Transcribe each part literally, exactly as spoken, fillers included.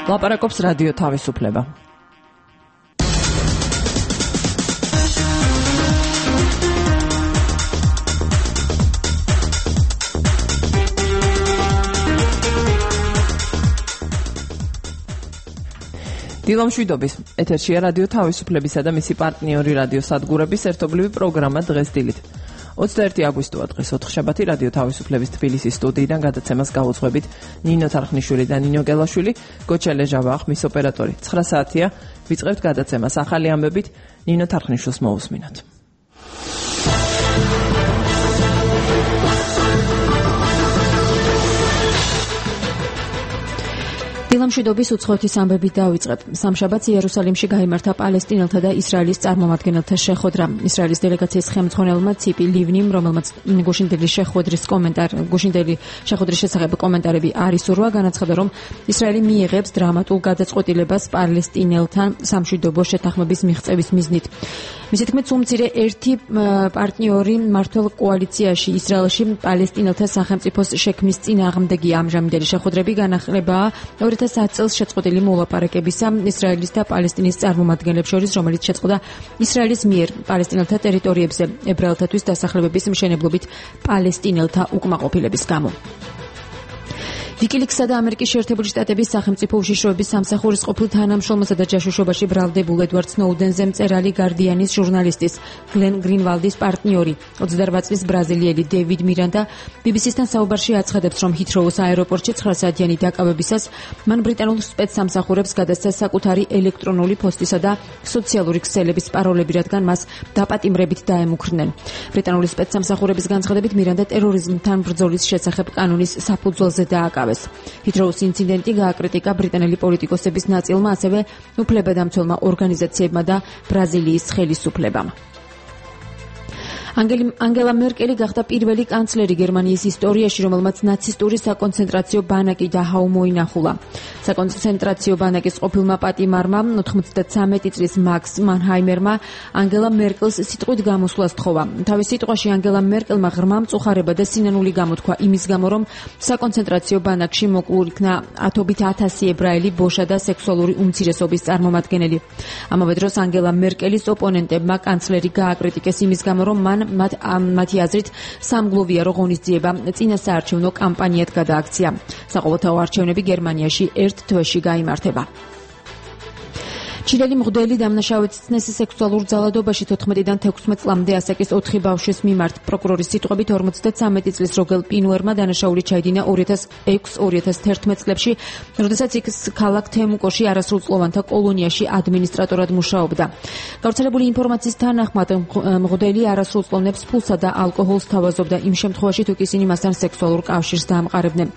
ლაპარაკობს რადიო თავისუფლება. დილამშვიდობის ეთერშია რადიო თავისუფლებისა და მისი პარტნიორი რადიო სადგურების ერთობლივი პროგრამა დღეს დილით. ოცდაერთი აგვისტოა დღეს ოთხშაბათი რადიო თავისუფლების თბილისის სტუდიიდან გადაცემას გაუძღვებით ნინო თარხნიშვილი და ნინო გელაშვილი, გოჩელე ჟავა ხმის ოპერატორი. ცხრა საათია ვიწყებთ გადაცემას ახალი ამბებით ნინო თარხნიშვილს მოусმინოთ. დილამშვიდობის უცხოეთის ამბებით დავიწყებ. სამშაბათს იერუსალიმში გაიმართა პალესტინელთა და ისრაელის წარმომადგენელთა შეხვედრა. ისრაელის დელეგაციის ხელმძღვანელმა ციპი ლივნიმ, რომელმაც გუშინდელი შეხვედრის კომენტარ გუშინდელი შეხვედრის შესახებ კომენტარები არ ისურვა, განაცხადა, რომ ისრაელი მიიღებს დრამატულ გადაწყვეტილებას პალესტინელთან სამშვიდობო შეთანხმების მიღწევის მიზნით. მისი თქმით, უმცირე ერთი პარტნიორი მმართველ კოალიციაში ისრაელში პალესტინელთა სახელმწიფოს შექმნის წინააღმდეგია. ამჟამინდელი შეხვედრები განახლებაა ორი ათას ათი წელს შეწყვეტილი მოლაპარაკებისა ისრაელის და პალესტინის წარმომადგენლებს შორის, რომელიც შეწყდა ისრაელის მიერ პალესტინელთა ტერიტორიებზე ებრაელთათვის დასახლებების მშენებლობით პალესტინელთა უკმაყოფილების გამო. ვიკილიქსსა და ამერიკის შეერთებული შტატების სახელმწიფო უშიშროების სამსახურის ყოფილ თანამშრომლსა და ჯაშუშობაში ბრალდებულ ედვარდ სნოუდენზე მწერალი გარდიანის ჟურნალისტის გლენ გრინვალდის პარტნიორი ოცდაორ წლის ბრაზილიელი დევიდ მირანდა ბი ბი სი-სთან საუბარში აცხადებს, რომ ჰითროუს აეროპორტში ცხრა საათიანი დაკავებისას მან ბრიტანულ სპეცსამსახურებს გადასცა საკუთარი ელექტრონული პოსტისა და სოციალური ქსელების პაროლები, რადგან მას დაპატიმრებით დაემუქრნენ. ბრიტანული სპეცსამსახურების განცხადებით მირანდა ტერორიზმთან ბრძოლის შესახებ კანონის საფუძველზე დააკავეს. ჰითროუს ინციდენტი გააკრიტიკა ბრიტანელი პოლიტიკოსების ნაწილმა, ასევე უფლებადამცველმა ორგანიზაციებმა და ბრაზილიის ხელისუფლებამ. ანგელა მერკელი გახდა პირველი კანცლერი გერმანიის ისტორიაში, რომელმაც ნაცისტური საკონცენტრაციო ბანაკი დააუმოინახულა. საკონცენტრაციო ბანაკის ყოფილმა პატიმარმა ოთხმოცდათრამეტი წლის მაქს მანჰაიმერმა ანგელა მერკელს სიტყვით გამოსვლა სთხოვა. თავის სიტყვაში ანგელა მერკელმა ღრმა მწუხარება და სინანული გამოთქვა იმის გამო, რომ საკონცენტრაციო ბანაკში მოკლულ იქნა ათობით ათასი ებრაელი, ბოშა და სექსუალური უმცირესობის წარმომადგენელი. ამავე დროს ანგელა მერკელის ოპონენტებმა კანცლერი გააკრიტიკეს იმის გამო, რომ მან მათ მათი აზრით სამგლოვიარო ღონისძიება წინასაარჩევნო კამპანიად გადააქცია. საყოველთაო არჩევნები გერმანიაში ერთ თვეში გაიმართება. ჩილელი მღვდელი დამნაშავეცნეს სექსუალურ ძალადობაში თოთხმეტიდან თექვსმეტ წლამდე ასაკის ოთხი ბავშვის მიმართ. პროკურორის სიტყვებით ორმოცდათრამეტი წლის როგელ პინუერმა დანაშაული ჩაიდინა ორი ათას ექვსი ორი ათას თერთმეტ წლებში, როდესაც იქ ქალაქ თემუკოში არასრულწლოვანთა კოლონიაში ადმინისტრატორად მუშაობდა. გავრცელებული ინფორმაციის თანახმად მღვდელი არასრულწლოვნებს ფულსა და ალკოჰოლს თავაზობდა იმ შემთხვევაში, თუ ისინი მასთან სექსუალურ კავშირს დაამყარებდნენ.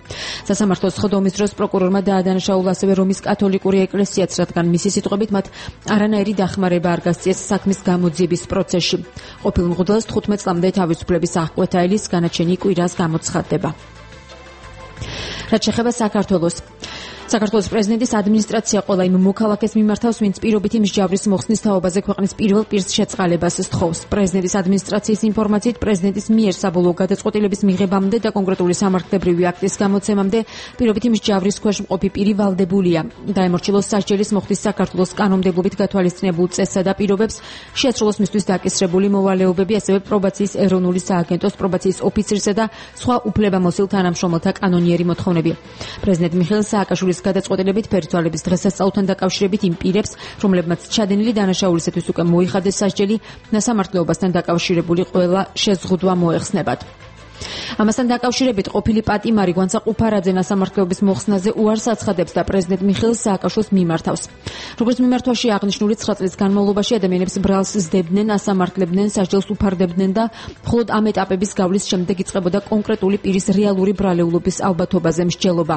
სასამართლოს ხდომის დროს პროკურორმა დაადანაშაულა ასევე რომის კათოლიკური ეკლესიაც, რადგან მისი სიტყვებით არანაირი დახმარება არ გასწიეს საქმის გამოძიების პროცესში. ყოფილ მღვდელს თხუთმეტ წლამდე თავისუფლების აღკვეთა ელის, განაჩენი კვირას გამოცხადდება. რაც შეეხება საქართველოს საქართველოს პრეზიდენტის ადმინისტრაცია ყველა იმ მოქალაქეს მიმართავს, ვინც პირობითი მსჯავრის მოხსნის თაობაზე ქვეყნის პირველ პირს შეწყალებას სთხოვს. პრეზიდენტის ადმინისტრაციის ინფორმაციით, პრეზიდენტის მიერ საბოლოო გადაწყვეტილების მიღებამდე და კონკრეტული სამართლებრივი აქტის გამოცემამდე პირობითი მსჯავრის ქვეშ მყოფი პირი ვალდებულია დაემორჩილოს სასჯელის მოხდის საქართველოს კანონმდებლობით გათვალისწინებულ წესსა და პირობებს, შეასრულოს მისთვის დაკისრებული მოვალეობები, ასევე პრობაციის ეროვნული სააგენტოს პრობაციის ოფიცრისა და სხვა უფლებამოსილ თანამშრომელთა კანონიერი მოთხოვნები. პრეზიდენტ მიხეილ სააკაშვილის გადაწყვეტილებით ფერითვალების დღესასწაულთან დაკავშირებით იმ პირებს, რომლებმაც ჩადენილი დანაშაულისათვის უკვე მოიხადეს სასჯელი, სასამართლოებასთან დაკავშირებული ყველა შეზღუდვა მოეხსნებათ. ამასთან დაკავშირებით ყოფილი პატიმარი გვანცა ყუფარაძე სასამართლოების მოხსნაზე უარს აცხადებს და პრეზიდენტ მიხეილ სააკაშვილს მიმართავს. როგორც მიმართვაში აღნიშნული ცხრა წლის განმავლობაში ადამიანებს ბრალს ზდებდნენ, ასამართლებდნენ, სასჯელს უფარდებდნენ და მხოლოდ ამ ეტაპების გავლის შემდეგ იწყებოდა კონკრეტული პირის რეალური ბრალეულობის ალბათობაზე მსჯელობა.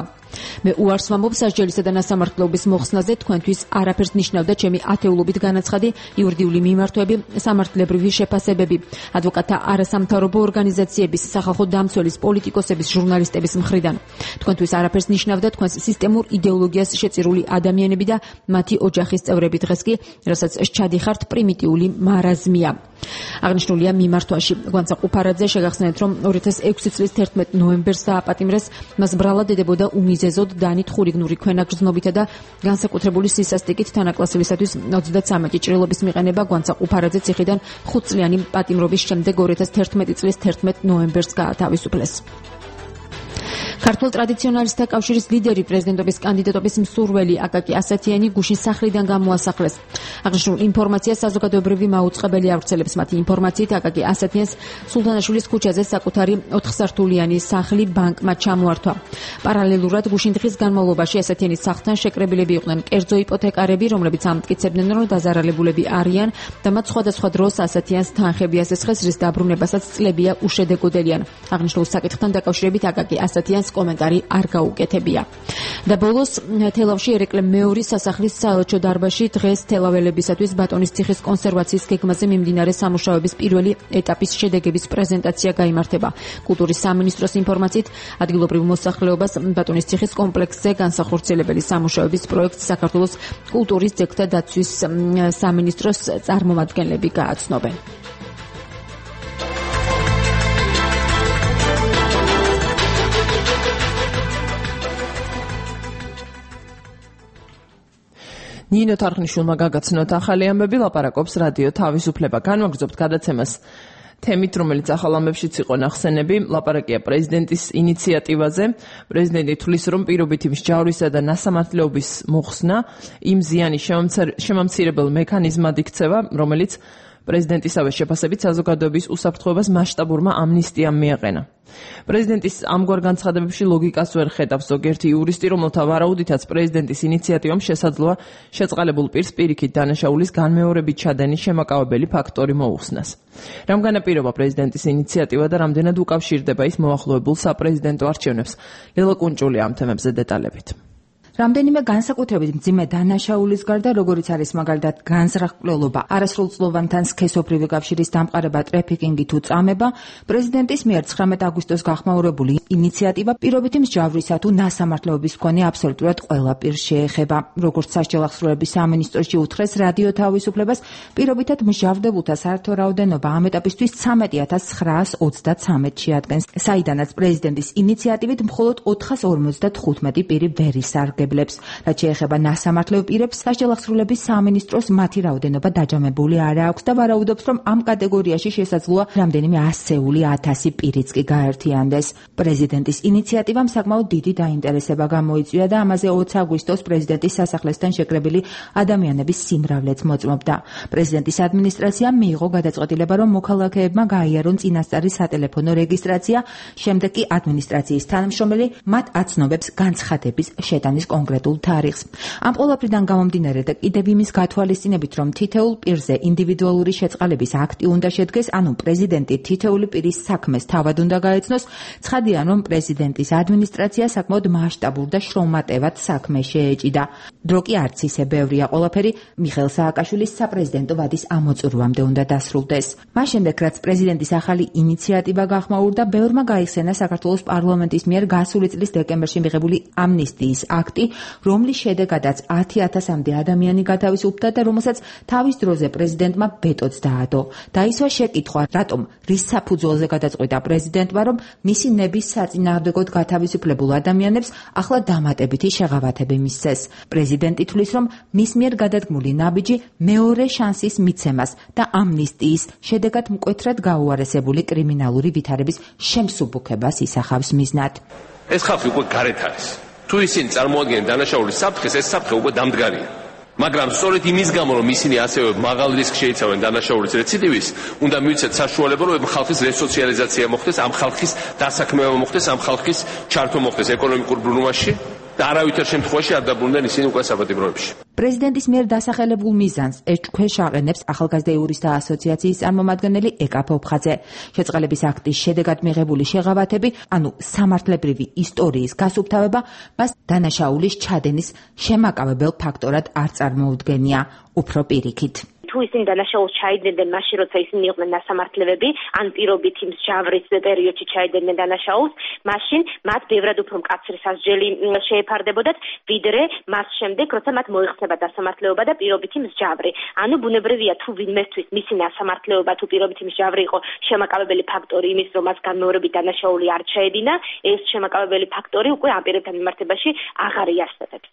მე უარს ვამბობ სასჯელისა და სასამართლოების მოხსნაზე, თქვენთვის არაფერს ნიშნავდა ჩემი ათეულობით განაცხადი, იურიდიული მიმართვები, სამართლებრივი შეფასებები, ადვოკატთა არასამთავრობო ორგანიზაციების, სახალხო სახალხო დამცველის, პოლიტიკოსების, ჟურნალისტების მხრიდან. თქვენთვის არაფერს ნიშნავდა თქვენს სისტემურ იდეოლოგიას შეწირული ადამიანები და მათი ოჯახის წევრები. დღეს კი, რასაც ჩადიხართ, პრიმიტიული მარაზმია. აღნიშნულია მიმართვაში. გვანცა ყუფარაძე შეგახსენეთ, რომ ორი ათას ექვსი წლის თერთმეტ ნოემბერს დააპატიმრეს, მას ბრალად ედებოდა უმიზეზოდ დანით ხურიგნური ქვენაგრძნობითა და განსაკუთრებული სისასტიკით თანაკლასელისათვის ოცდათსამეტი ჭრილობის მიყენება. გვანცა ყუფარაძე ციხიდან ხუთწლიანი პატიმრობის შემდეგ ორი ათას თერთმეტი წლის თერთმეტ ნოემბერს გაათავისუფლეს. ქართულ ტრადიციონალისტთა კავშირის ლიდერი პრეზიდენტობის კანდიდატობის მსურველი აკაკი ასათიანი გუშინ სახლიდან გამოასახლეს. აღნიშნულ ინფორმაციას საზოგადოებრივი მაუწყებელი ავრცელებს. მათი ინფორმაციით აკაკი ასათიანს სულთანაშვილის ქუჩაზე საკუთარი ოთხსართულიანი სახლი ბანკმა ჩამოართვა. პარალელურად გუშინ დღის განმავლობაში ასათიანის სახლთან შეკრებილები იყვნენ კერძო იპოთეკარები, რომლებიც ამტკიცებდნენ, რომ დაზარალებულები არიან და მათ სხვადასხვა დროს ასათიანს თანხები ასესხეს, რის დაბრუნებასაც წლებია უშედეგოდელიან. აღნიშნულ საკითხთან დაკავშირებით აკაკი ასათიანს კომენტარი არ გაუკეთებია. და ბოლოს თელავში ერეკლე მეორის სასახლის საელჩო დარბაზში დღეს თელაველებისათვის ბატონის ციხის კონსერვაციის გეგმაზე მიმდინარე სამუშაოების პირველი ეტაპის შედეგების პრეზენტაცია გაიმართება. კულტურის სამინისტროს ინფორმაციით, ადგილობრივ მოსახლეობას ბატონის ციხის კომპლექსზე განსახორციელებელი სამუშაოების პროექტს საქართველოს კულტურის ძეგლთა დაცვის სამინისტროს წარმომადგენლები გააცნობენ. ნინო თარხნიშვილმა გაგაცნოთ ახალი ამბები, ლაპარაკობს რადიო თავისუფლება. განვაგრძობთ გადაცემას თემით, რომელიც ახალ ამბებშიც იყო ნახსენები. ლაპარაკია პრეზიდენტის ინიციატივაზე. პრეზიდენტი თვლის, რომ პირობითი მსჯავრისა და ნასამართლეობის მოხსნა იმ ზიანის შემამცირებელ მექანიზმად იქცევა, რომელიც პრეზიდენტისავე შეფასებით საზოგადოების უსაფრთხოებას მასშტაბურმა ამნისტიამ მიაყენა. პრეზიდენტის ამგვარ განცხადებებში ლოგიკას ვერ ხედავს ზოგიერთი იურისტი, რომელთა ვარაუდითაც პრეზიდენტის ინიციატივამ შესაძლოა შეწყალებულ პირს პირიქით დანაშაულის განმეორებით ჩადენის შემაკავებელი ფაქტორი მოუხსნას. რამ განაპირობა პრეზიდენტის ინიციატივა და რამდენად უკავშირდება ის მოახლოებულ საპრეზიდენტო არჩევნებს? ლელა კუნჭული ამ თემებზე დეტალებით. რამდენიმე განსაკუთრებით მძიმე დანაშაულის გარდა, როგორიც არის მაგალითად განზრახკვლელობა, არასრულწლოვანთან სქესობრივი კავშირის დამყარება, ტრეფიკინგი თუ წამება, პრეზიდენტის მიერ ცხრამეტ აგვისტოს გახმაურებული ინიციატივა პირობითი მსჯავრისა თუ ნასამართლეობის მქონე აბსოლუტურად ყველა პირს შეეხება. როგორც სასჯელ ახსრულების სამინისტროში უთხრეს რადიო თავისუფლებას, პირობითად მსჯავრდებულთა საერთო რაოდენობა ამ ეტაპისთვის ცხრამეტი ათას ცხრაას ოცდათსამეტში ადგენს, საიდანაც პრეზიდენტის ინიციატივით მხოლოდ ოთხას ორმოცდათხუთმეტი პირი ვერ ისარგებლა. რაც შეეხება ნასამართლეო პირებს, სასჯელ ახსრულების სამინისტროს მათი რაოდენობა დაჯამებული არ აქვს და ვარაუდობს, რომ ამ კატეგორიაში შესაძლოა რამდენიმე ასეული ათასი პირიც კი გაერთიანდეს. პრეზიდენტის ინიციატივამ საკმაოდ დიდი დაინტერესება გამოიწვია და ამაზე ოცი აგვისტოს პრეზიდენტის სასახლესთან შეკრებილი ადამიანების სიმრავლეც მოწმობდა. პრეზიდენტის ადმინისტრაციამ მიიღო გადაწყვეტილება, რომ მოქალაქეებმა გაიარონ წინასწარი სატელეფონო რეგისტრაცია, შემდეგ კი ადმინისტრაციის თანამშრომელი მათ აცნობებს განცხადების შეტანის კონკრეტულ თარიღს. ამ ყველაფრიდან გამომდინარე და კიდევ იმის გათვალისწინებით, რომ თითოეულ პირზე ინდივიდუალური შეწყალების აქტი უნდა შედგეს, ანუ პრეზიდენტი თითოეული პირის საქმეს თავად უნდა გაეცნოს, ცხადია, რომ პრეზიდენტის ადმინისტრაცია საკმაოდ მასშტაბურ და შრომატევად საქმე შეეჭიდა. დრო კი არც ისე ბევრია, ყველაფერი მიხეილ სააკაშვილის საპრეზიდენტო ვადის ამოწურვამდე უნდა დასრულდეს. მას შემდეგ, რაც პრეზიდენტის ახალი ინიციატივა გახმაურდა, ბევრმა გაიხსენა საქართველოს პარლამენტის მიერ გასული წლის დეკემბერში მიღებული ამნისტიის აქტი, რომლის შედეგადაც ათი ათასამდე ადამიანი გათავისუფლდა და რომელსაც თავის დროზე პრეზიდენტმა ვეტოც დაადო. დაისვა შეკითხვა, რატომ რის საფუძველზე გადაწყვიტა პრეზიდენტმა, რომ მისი ნების საწინააღმდეგოდ გათავისუფლებულ ადამიანებს ახლა დამატებითი შეღავათები მისცეს. პრეზიდენტი თვლის, რომ მის მიერ გადადგმული ნაბიჯი მეორე შანსის მიცემას და ამნისტიის შედეგად მკვეთრად გაუარესებული კრიმინალური ვითარების შემსუბუქებას ისახავს მიზნად. ეს ხალხი უკვე გარეთ არის. თუ ისინი წარმოადგენენ დანაშაულის საფრთხეს, ეს საფრთხე უკვე დამდგარია. მაგრამ სწორედ იმის გამო, რომ ისინი ასევე მაღალ რისკს შეიცავენ დანაშაულის რეციდივის, უნდა მივიცეთ საშუალება, რომ ამ ხალხის რესოციალიზაცია მოხდეს, ამ ხალხის დასაქმება მოხდეს, ამ ხალხის ჩართვა მოხდეს ეკონომიკურ ბრუნვაში და არავითარ შემთხვევაში არ დაბრუნდნენ ისინი უკვე საპატიმროებში. პრეზიდენტის მიერ დასახელებულ მიზანს ეჭქვეშ აყენებს ახალგაზრდა იურისტთა ასოციაციის წარმომადგენელი ეკა ფოფხაძე. შეწყალების აქტის შედეგად მიღებული შეღავათები, ანუ სამართლებრივი ისტორიის გასუფთავება, მას დანაშაულის ჩადენის შემაკავებელ ფაქტორად არ წარმოუდგენია, უფრო პირიქით. თუ თუ ისინი დანაშაულს ჩაიდგნენ მაშინ როცა ისინი იყვნენ ნასამართლებლები ან პირობით იმ ჯავრის პერიოდში ჩაიდგნენ დანაშაულს მაშინ მათ ბევრად უფრო მკაცრი სასჯელი შეეფარდებოდათ ვიდრე მას შემდეგ როცა მათ მოიხსნება დასამართლეობა და პირობითი მსჯავრი. ანუ ბუნებრივია თუ ვინმესთვის მისი დასამართლეობა თუ პირობითი მსჯავრი იყო შემაკავებელი ფაქტორი იმის რომ მას განმეორებით დანაშაული არ ჩაედინა ეს შემაკავებელი ფაქტორი უკვე ამ პირებთან მიმართებაში აღარ იარსებებს.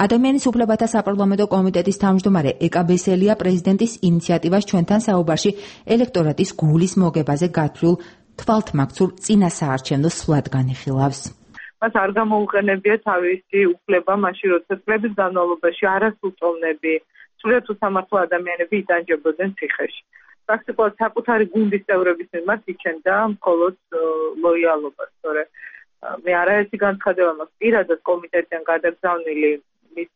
ადამიანის უფლებათა საპარლამენტო კომიტეტის თავმჯდომარე ეკა ბესელია პრეზიდენტის ინიციატივას ჩვენთან საუბარში ელექტორატის გულის მოგებაზე გათვლილ თვალთმაქცურ წინასაარჩევნო სვლად განიხილავს. მას არ გამოუყენებია თავისი უფლება მაშინ როცა წლების განმავლობაში არასრულწლოვნები სრულიად უსამართლო ადამიანები იტანჯებოდნენ ციხეში. პრაქტიკულად საკუთარი გუნდის წევრების მიმართ იჩენდა მხოლოდ ლოიალობას, სწორედ მე არაერთი განცხადება მაქვს პირადად კომიტეტიდან გადაგზავნილი მის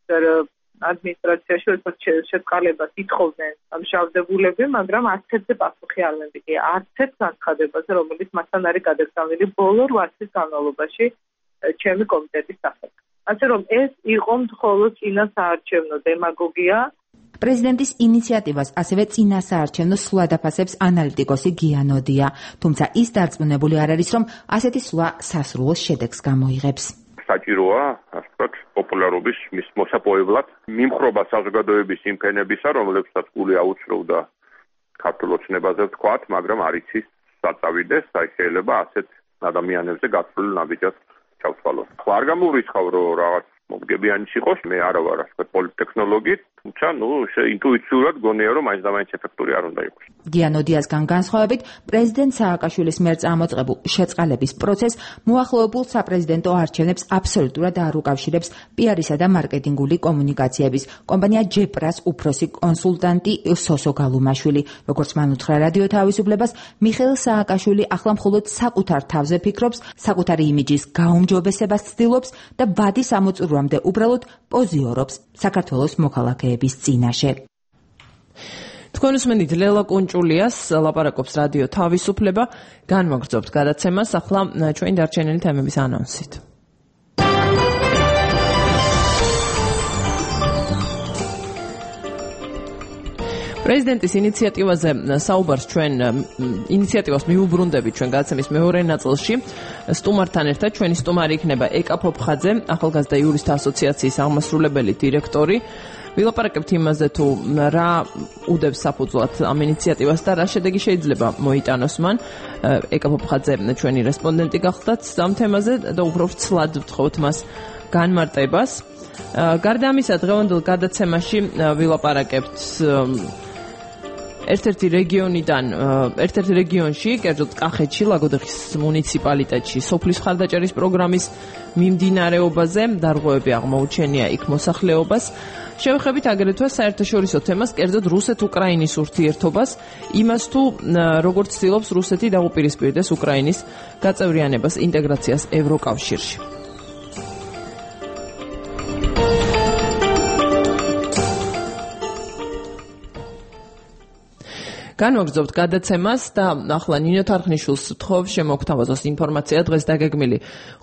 ადმინისტრაციაში როცა შეწყალებას ითხოვდნენ მშავდებულები, მაგრამ არც ერთზე პასუხი არ მემიგია. არც ერთ განცხადებაზე, რომელიც მასთან არის გადაგზავნილი ბოლო რვა წლის განმავლობაში ჩემი კომიტეტის სახით. ასე რომ ეს იყო მხოლოდ წინასაარჩევნო დემაგოგია. პრეზიდენტის ინიციატივას ასევე წინასაარჩევნო სვლა დაფასებს ანალიტიკოსი გიანოდია, თუმცა ის დარწმუნებული არ არის, რომ ასეთი სვლა სასრულო შედეგს გამოიღებს. საჭიროა, ასე ვთქვათ, პოპულარობის მის მოსაპოვებლად მიმხრობა საზოგადოების იმ ფენებისა, რომლებსაც გული აუცროვდა ქართულ ოცნებაზე ვთქვათ, მაგრამ არ იცის საწავიდეს, აი შეიძლება ასეთ ადამიანებზე გათვლილი ნაბიჯად ჩავთვალოთ. ხო არ გამოვრიცხავ, რომ რაღაც მომგებიანი იყოს, მე არა ვარ ასე პოლიტექნოლოგი, თუმცა ნუ ინტუიციურად გონია რომ მაინც და მაინც ეფექტური არ უნდა იყოს. გიანოდიასგან განსხვავებით, პრეზიდენტ სააკაშვილის მიერ წამოწყებულ შეწყალების პროცესს მოახლოებულ საპრეზიდენტო არჩევნებს აბსოლუტურად არ უკავშირებს პიარისა და მარკეტინგული კომუნიკაციების კომპანია ჯეპრას უფროსი კონსულტანტი სოსო გალუმაშვილი. როგორც მან უთხრა რადიო თავისუფლებას, მიხეილ სააკაშვილი ახლა მხოლოდ საკუთარ თავზე ფიქრობს, საკუთარი იმიჯის გაუმჯობესებას ცდილობს და ბადი სამოწურვამდე უბრალოდ პოზიორობს საქართველოს მოქალაქეების წინაშე. თქვენ უსმენთ ლელა კუნჭულიას, ლაპარაკობს რადიო თავისუფლება, განვაგრძობთ გადაცემას ახლა ჩვენი დარჩენილი თემების ანონსით. პრეზიდენტის ინიციატივაზე საუბარს ჩვენ ინიციატივას მიუბრუნდებით ჩვენ გადაცემის მეორე ნაწილში. სტუმართან ერთად ჩვენი სტუმარი იქნება ეკა ფოფხაძე, ახალგაზრდა იურისტთა ასოციაციის აღმასრულებელი დირექტორი. ვილაპარაკებთ იმაზე თუ რა უდევს საფუძვლად ამ ინიციატივას და რა შედეგი შეიძლება მოიტანოს მან. ეკა ფოფხაძე ჩვენი რესპონდენტი გახდათ ამ თემაზე და უფრო ცლად ვთხოვთ მას განმარტებას. გარდა ამისა, დღევანდელ გადაცემაში ვილაპარაკებთ ერთ-ერთი რეგიონიდან, ერთ-ერთ რეგიონში, კერძოდ კახეთში, ლაგოდეხის მუნიციპალიტეტში, სოფლის მხარდაჭერის პროგრამის მიმდინარეობაზე, დარღვევები აღმოუჩენია იქ მოსახლეობას. შევეხებით აგრეთვე საერთაშორისო თემას, კერძოდ რუსეთ-უკრაინის ურთიერთობას, იმას თუ როგორც ცდილობს რუსეთი დაუპირისპირდეს უკრაინის გაწევრიანებას, ინტეგრაციას ევროკავშირში. განვაგრძობთ გადაცემას და ახლა ნინო თარხნიშვილს ვთხოვ შემოგთავაზოს ინფორმაცია დღეს დაგეგმილი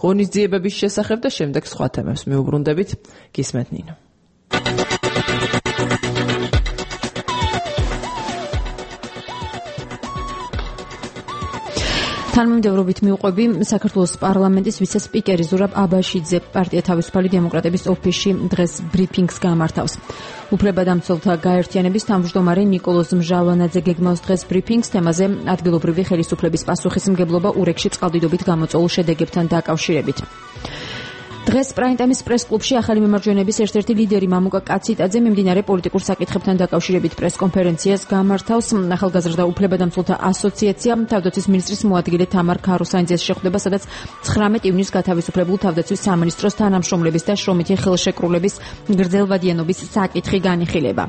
ღონისძიებების შესახებ და შემდეგ სხვა თემებს მიუბრუნდებით. გისმენთ ნინო. თანმიმდევრობით მიუყვები საქართველოს პარლამენტის ვიცე-სპიკერი ზურაბ აბაშიძე პარტია თავისუფალი დემოკრატების ოფისში დღეს ბრიფინგს გამართავს. უფლებადამცველთა გაერთიანების თავმჯდომარე ნიკოლოზ მჟავანაძე გეგმავს დღეს ბრიფინგს თემაზე ადგილობრივი ხელისუფლების პასუხისმგებლობა ურეკში წყალდიდობით გამოწვეულ შედეგებთან დაკავშირებით. დღეს პრაიმ-ტაიმის პრეს-კლუბში ახალი მემარჯვენეების ერთ-ერთი ლიდერი მამუკა კაციტაძე მიმდინარე პოლიტიკურ საკითხებთან დაკავშირებით პრეს-კონფერენციას გამართავს. ახალგაზრდა უფლებადამცველთა ასოციაცია თავდაცვის მინისტრის მოადგილე თამარ ქაროსანიძეს შეხვდება, სადაც ცხრამეტ ივნისს გათავისუფლებულ თავდაცვის სამინისტროს თანამშრომლების და შრომითი ხელშეკრულების გრძელვადიანობის საკითხი განიხილება.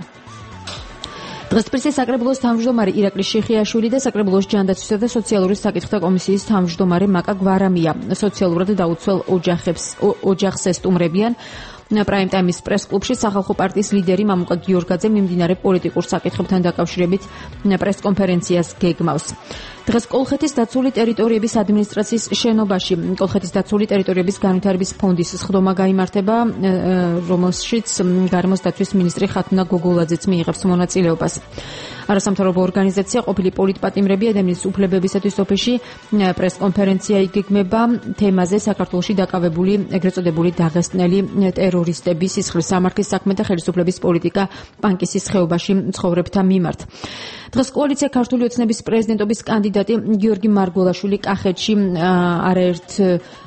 დღეს პრესის საკრებულოს თავმჯდომარე ირაკლი შიხიაშვილი და საკრებულოს ჯანდაცვისა და სოციალური საკითხთა კომისიის თავმჯდომარე მაკა გვარამია სოციალურად დაუცველ ოჯახებს ოჯახს ესტუმრებიან. პრაიმ ტაიმის პრეს-კლუბში სახალხო პარტიის ლიდერი მამუკა გიორგაძე მიმდინარე პოლიტიკურ საკითხებთან დაკავშირებით პრეს-კონფერენციას გეგმავს. დღეს კოლხეთის დაცული ტერიტორიების ადმინისტრაციის შენობაში კოლხეთის დაცული ტერიტორიების განვითარების ფონდის სხდომა გაიმართება, რომელშიც გარემოს დაცვის მინისტრი ხათუნა გოგოლაძეც მიიღებს მონაწილეობას. არასამთავრობო ორგანიზაცია ყოფილი პოლიტპატიმრები ადამიანის უფლებებისათვის ოფისში პრეს-კონფერენცია იგეგმება თემაზე საქართველოში დაკავებული ეგრეთ წოდებული დაღესტნელი ტერორისტების სისხლის სამართლის საქმე და ხელისუფლების პოლიტიკა პანკისის ხეობაში მცხოვრებთა მიმართ. დღეს კოალიცია ქართული ოცნების პრეზიდენტობის კანდიდატი გიორგი მარგველაშვილი კახეთში არაერთ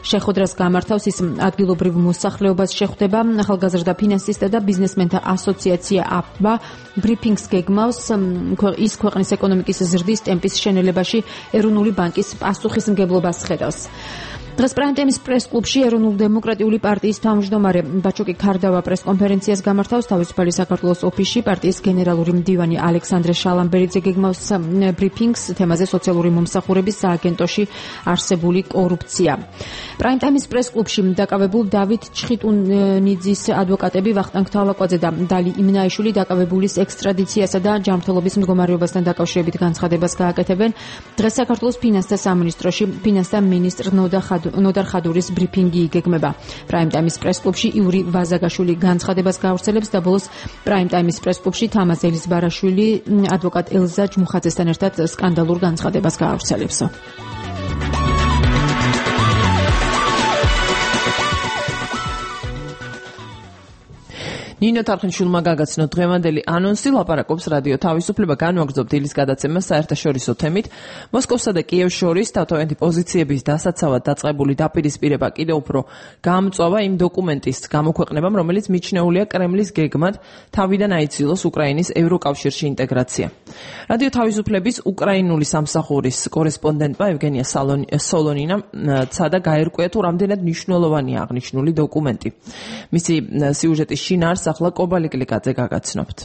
შეხვედრას გამართავს. ის ადგილობრივ მოსახლეობას შეხვდება. ახალგაზრდა ფინანსისტთა და ბიზნესმენთა ასოციაცია აფბა ბრიფინგს გეგმავს ის ქვეყნის ეკონომიკის ზრდის ტემპის შენელებაში ეროვნული ბანკის პასუხისმგებლობას ხედავს. დღეს პრაიმ-ტაიმის პრეს-კლუბში ეროვნული დემოკრატიული პარტიის თავმჯდომარე ბაჩოკი ქარდავა პრეს-კონფერენციას გამართავს. თავისუფალი საქართველოს ოფისში პარტიის გენერალური მდივანი ალექსანდრე შალამბერიძე გეგმავს ბრიფინგს თემაზე სოციალური მომსახურების სააგენტოში არსებული კორუფცია. პრაიმ-ტაიმის პრეს-კლუბში დაკავებულ დავით ჩხიტუნიძის ადვოკატები ვახტანგ თალაკვაძე და დალი იმნაიშვილი დაკავებულის ექსტრადიციასა და ჯანმრთელობის მდგომარეობასთან დაკავშირებით განცხადებას გააკეთებენ. დღეს საქართველოს ფინანსთა სამინისტროში ფინანსთა მინისტრ ნოდა ნოდარ ხადურის ბრიფინგი იგეგმება. პრაიმ-ტაიმის პრეს-კლუბში იური ვაზაგაშვილი განცხადებას გაავრცელებს და ბოლოს პრაიმ-ტაიმის პრეს-კლუბში თამაზ ელიზბარაშვილი ადვოკატ ელზა ჯმუხაძესთან ერთად სკანდალურ განცხადებას გაავრცელებს. ნინო თარხნიშვილმა გაგაცნო დღევანდელი ანონსი, ლაპარაკობს რადიო თავისუფლება, განვაგრძობ დილის გადაცემას საერთაშორისო თემით. მოსკოვსა და კიევს შორის თავთავიანთი პოზიციების დასაცავად დაწყებული დაპირისპირება კიდევ უფრო გამწვავა იმ დოკუმენტის გამოქვეყნებამ, რომელიც მიჩნეულია კრემლის გეგმად თავიდან აიცილოს უკრაინის ევროკავშირში ინტეგრაცია. რადიო თავისუფლების უკრაინული სამსახურის კორესპონდენტმა ევგენია სოლონინამ ცადა გაერკვია თუ რამდენად მნიშვნელოვანია აღნიშნული დოკუმენტი. მისი სიუჟეტის შინაარსს ახლა კობალიკლიკაძე გაგაცნობთ.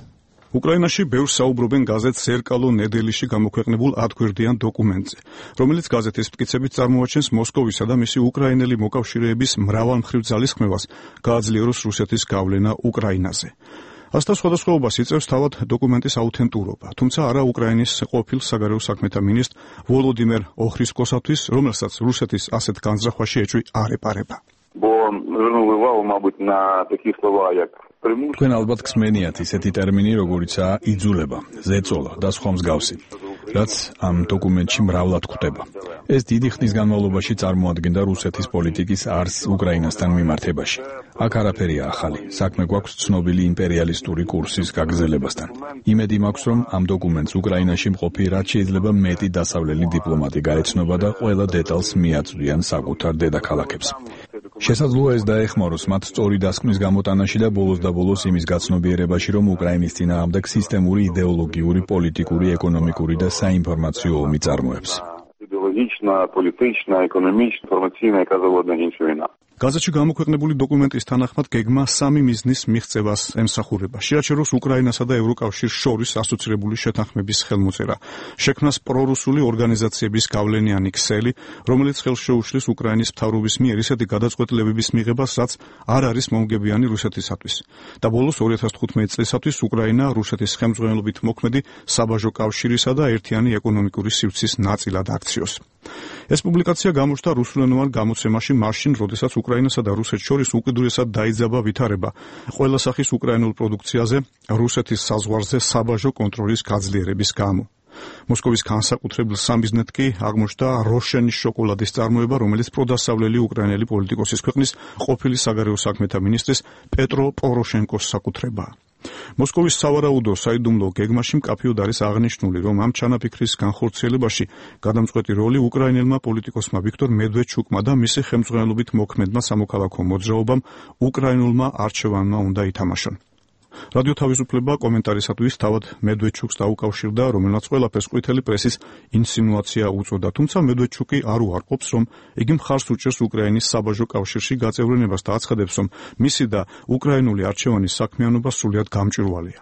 უკრაინაში ბევრს საუბრობენ გაზეთ „სერკალო ნედელიში“ გამოქვეყნებულ ათგვერდიან დოკუმენტზე, რომელიც გაზეთის მტკიცებით წარმოაჩენს მოსკოვისა და მისი უკრაინელი მოკავშირეების მრავალმხრივ ძალისხმევას გააძლიეროს რუსეთის გავლენა უკრაინაზე. ასთან სხვადასხვაობას იწევს თავად დოკუმენტის აუთენტურობა, თუმცა არა უკრაინის ყოფილ საგარეო საქმეთა მინისტრ ვოლოდიმერ ოხრისკოსათვის, რომელსაც რუსეთის ასეთ განზრახვაში ეჭვი არ ეპარება. თქვენ ალბათ გსმენიათ ისეთი ტერმინი, როგორიცაა იძულება, ზეწოლა და სხვა მსგავსი, რაც ამ დოკუმენტში მრავლად გვხვდება. ეს დიდი ხნის განმავლობაში წარმოადგენდა რუსეთის პოლიტიკის არსს უკრაინასთან მიმართებაში. აქ არაფერია ახალი, საქმე გვაქვს ცნობილი იმპერიალისტური კურსის გაგრძელებასთან. იმედი მაქვს, რომ ამ დოკუმენტს უკრაინაში მყოფი რაც შეიძლება მეტი დასავლელი დიპლომატი გაეცნობა და ყველა დეტალს მიაწვდიან საკუთარ დედაქალაქებს. შესაძლოა ეს დაეხმაროს მათ სწორი დასკვნის გამოტანაში და ბოლოს და ბოლოს იმის გაცნობიერებაში, რომ უკრაინის წინააღმდეგ სისტემური იდეოლოგიური, პოლიტიკური, ეკონომიკური და საინფორმაციო ომი წარმოებს. იდეოლოგიჩნა, პოლიტიჩნა, ეკონომიჩნა, ინფორმაციული კაზავოდნეის ვინა. გაზეთში გამოქვეყნებული დოკუმენტის თანახმად გეგმა სამი მიზნის მიღწევას ემსახურება. შეაჩეროს უკრაინასა და ევროკავშირს შორის ასოცირებული შეთანხმების ხელმოწერა. შექმნას პრორუსული ორგანიზაციების გავლენიანი ქსელი, რომელიც ხელს შეუშლის უკრაინის მთავრობის მიერ ისეთი გადაწყვეტილებების მიღებას, რაც არ არის მომგებიანი რუსეთისათვის. და ბოლოს ორი ათას თხუთმეტი წლისათვის უკრაინა რუსეთის ხელმძღვანელობით მოქმედი საბაჟო კავშირისა და ერთიანი ეკონომიკური სივრცის ნაწილად აქციოს. ეს პუბლიკაცია გამოჩნდა რუსულენოვან გამოცემაში მაშინ, როდესაც უკრაინასა და რუსეთს შორის უკიდურესად დაიძაბა ვითარება ყველა სახის უკრაინულ პროდუქციაზე რუსეთის საზღვარზე საბაჟო კონტროლის გაძლიერების გამო. მოსკოვის განსაკუთრებულ სამიზნედ კი აღმოჩნდა როშენის შოკოლადის წარმოება, რომელიც პროდასავლელი უკრაინელი პოლიტიკოსის ქვეყნის ყოფილი საგარეო საქმეთა მინისტრის პეტრო პოროშენკოს საკუთრებაა. მოსკოვის სავარაუდო საიდუმლო გეგმაში მკაფიოდ არის აღნიშნული, რომ ამ ჩანაფიქრის განხორციელებაში გადამწყვეტი როლი უკრაინელმა პოლიტიკოსმა ვიქტორ მედვედჩუკმა და მისი ხელმძღვანელობით მოქმედმა სამოქალაქო მოძრაობამ უკრაინულმა არჩევანმა უნდა ითამაშონ. რადიო თავისუფლება კომენტარისათვის თავად მედვედჩუკს დაუკავშირდა, რომელმაც ყველაფერს ყვითელი პრესის ინსინუაცია უწოდა, თუმცა მედვედჩუკი არ უარყოფს, რომ იგი მხარს უჭერს უკრაინის საბაჟო კავშირში გაწევრიანებას და აცხადებს, რომ მისი და უკრაინული არჩევანის საქმიანობა სრულიად გამჭვირვალეა.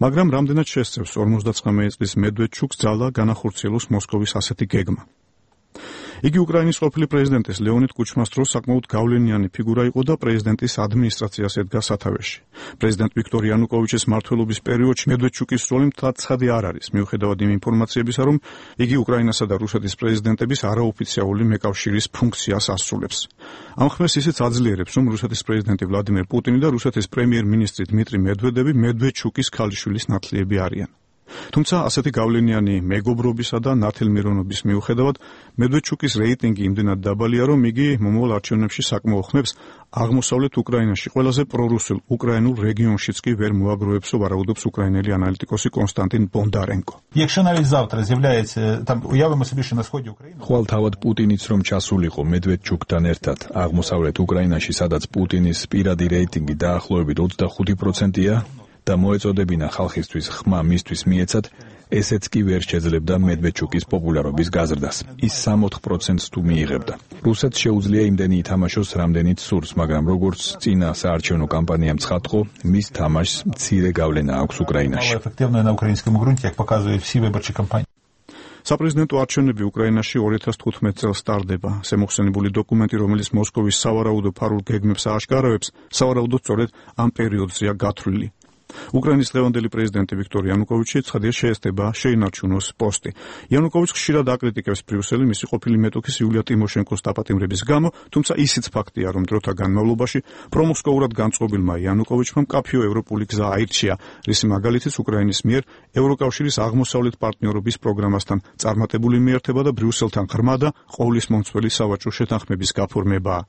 მაგრამ რამდენად შესწევს ორმოცდაცხრამეტი წლის მედვედჩუკს ძალა განახორციელოს მოსკოვის ასეთი გეგმა. იგი უკრაინის ყოფილი პრეზიდენტის ლეონიდ კუჩმას დროს საკმაოდ გავლენიანი ფიგურა იყო და პრეზიდენტის ადმინისტრაციას ედგა სათავეში. პრეზიდენტ ვიქტორ იანუკოვიჩის მმართველობის პერიოდში მედვედჩუკის როლი მთლად ცხადი არ არის, მიუხედავად იმ ინფორმაციებისა, რომ იგი უკრაინასა და რუსეთის პრეზიდენტების არაოფიციალური მეკავშირის ფუნქციას ასრულებს. ამ ხმას ისიც აძლიერებს, რომ რუსეთის პრეზიდენტი ვლადიმერ პუტინი და რუსეთის პრემიერ-მინისტრი დმიტრი მედვედევი მედვედჩუკის ქალიშვილის ნათლიები არიან. თუმცა ასეთი გავლენიანი მეგობრობისა და ნათელმირონობის მიუხედავად მედვედჩუკის რეიტინგი იმდენად დაბალია, რომ იგი მომავალ არჩევნებში საკმაო ხმებს აღმოსავლეთ უკრაინაში ყველაზე პრორუსულ უკრაინულ რეგიონშიც კი ვერ მოაგროვებს, ვარაუდობს უკრაინელი ანალიტიკოსი კონსტანტინ ბონდარენკო. ხვალ თავად პუტინიც რომ ჩასულიყო მედვედჩუკთან ერთად აღმოსავლეთ უკრაინაში, სადაც პუტინის პირადი რეიტინგი დაახლოებით ოცდახუთი პროცენტია და მოეწოდებინა ხალხისთვის ხმა მისთვის მიეცათ, ესეც კი ვერ შეძლებდა მედვედჩუკის პოპულარობის გაზრდას. ის სამოთხ პროცენტს თუ მიიღებდა. რუსეთს შეუძლია იმდენი ითამაშოს, რამდენიც სურს, მაგრამ როგორც წინა საარჩევნო კამპანიამ ცხადყო, მის თამაშს მცირე გავლენა აქვს უკრაინაში. საპრეზიდენტო არჩევნები უკრაინაში ორი ათას თხუთმეტ წელს სტარდება. შემოხსენებული დოკუმენტი, რომელიც მოსკოვის სავარაუდო ფარულ გეგმებს ააშკარავებს, სავარაუდოდ სწორედ ამ პერიოდზეა გათვლილი. უკრაინის დღევანდელი პრეზიდენტი ვიქტორ იანუკოვიჩი ცხადია შეესწება შეინარჩუნოს პოსტი. იანუკოვიჩი ხშირად აკრიტიკებს ბრიუსელი მისი ყოფილი მეტოქის იულია ტიმოშენკოს დაპატიმრების გამო, თუმცა ისიც ფაქტია, რომ დროთა განმავლობაში პრომოსკოურად განწყობილმა იანუკოვიჩმა მკაფიო ევროპული გზა აირჩია, რის მაგალითიც უკრაინის მიერ ევროკავშირის აღმოსავლეთ პარტნიორობის პროგრამასთან წარმატებული მიერთება და ბრიუსელთან ღრმა და ყოვლისმომცველი სავაჭრო შეთანხმების გაფორმებაა.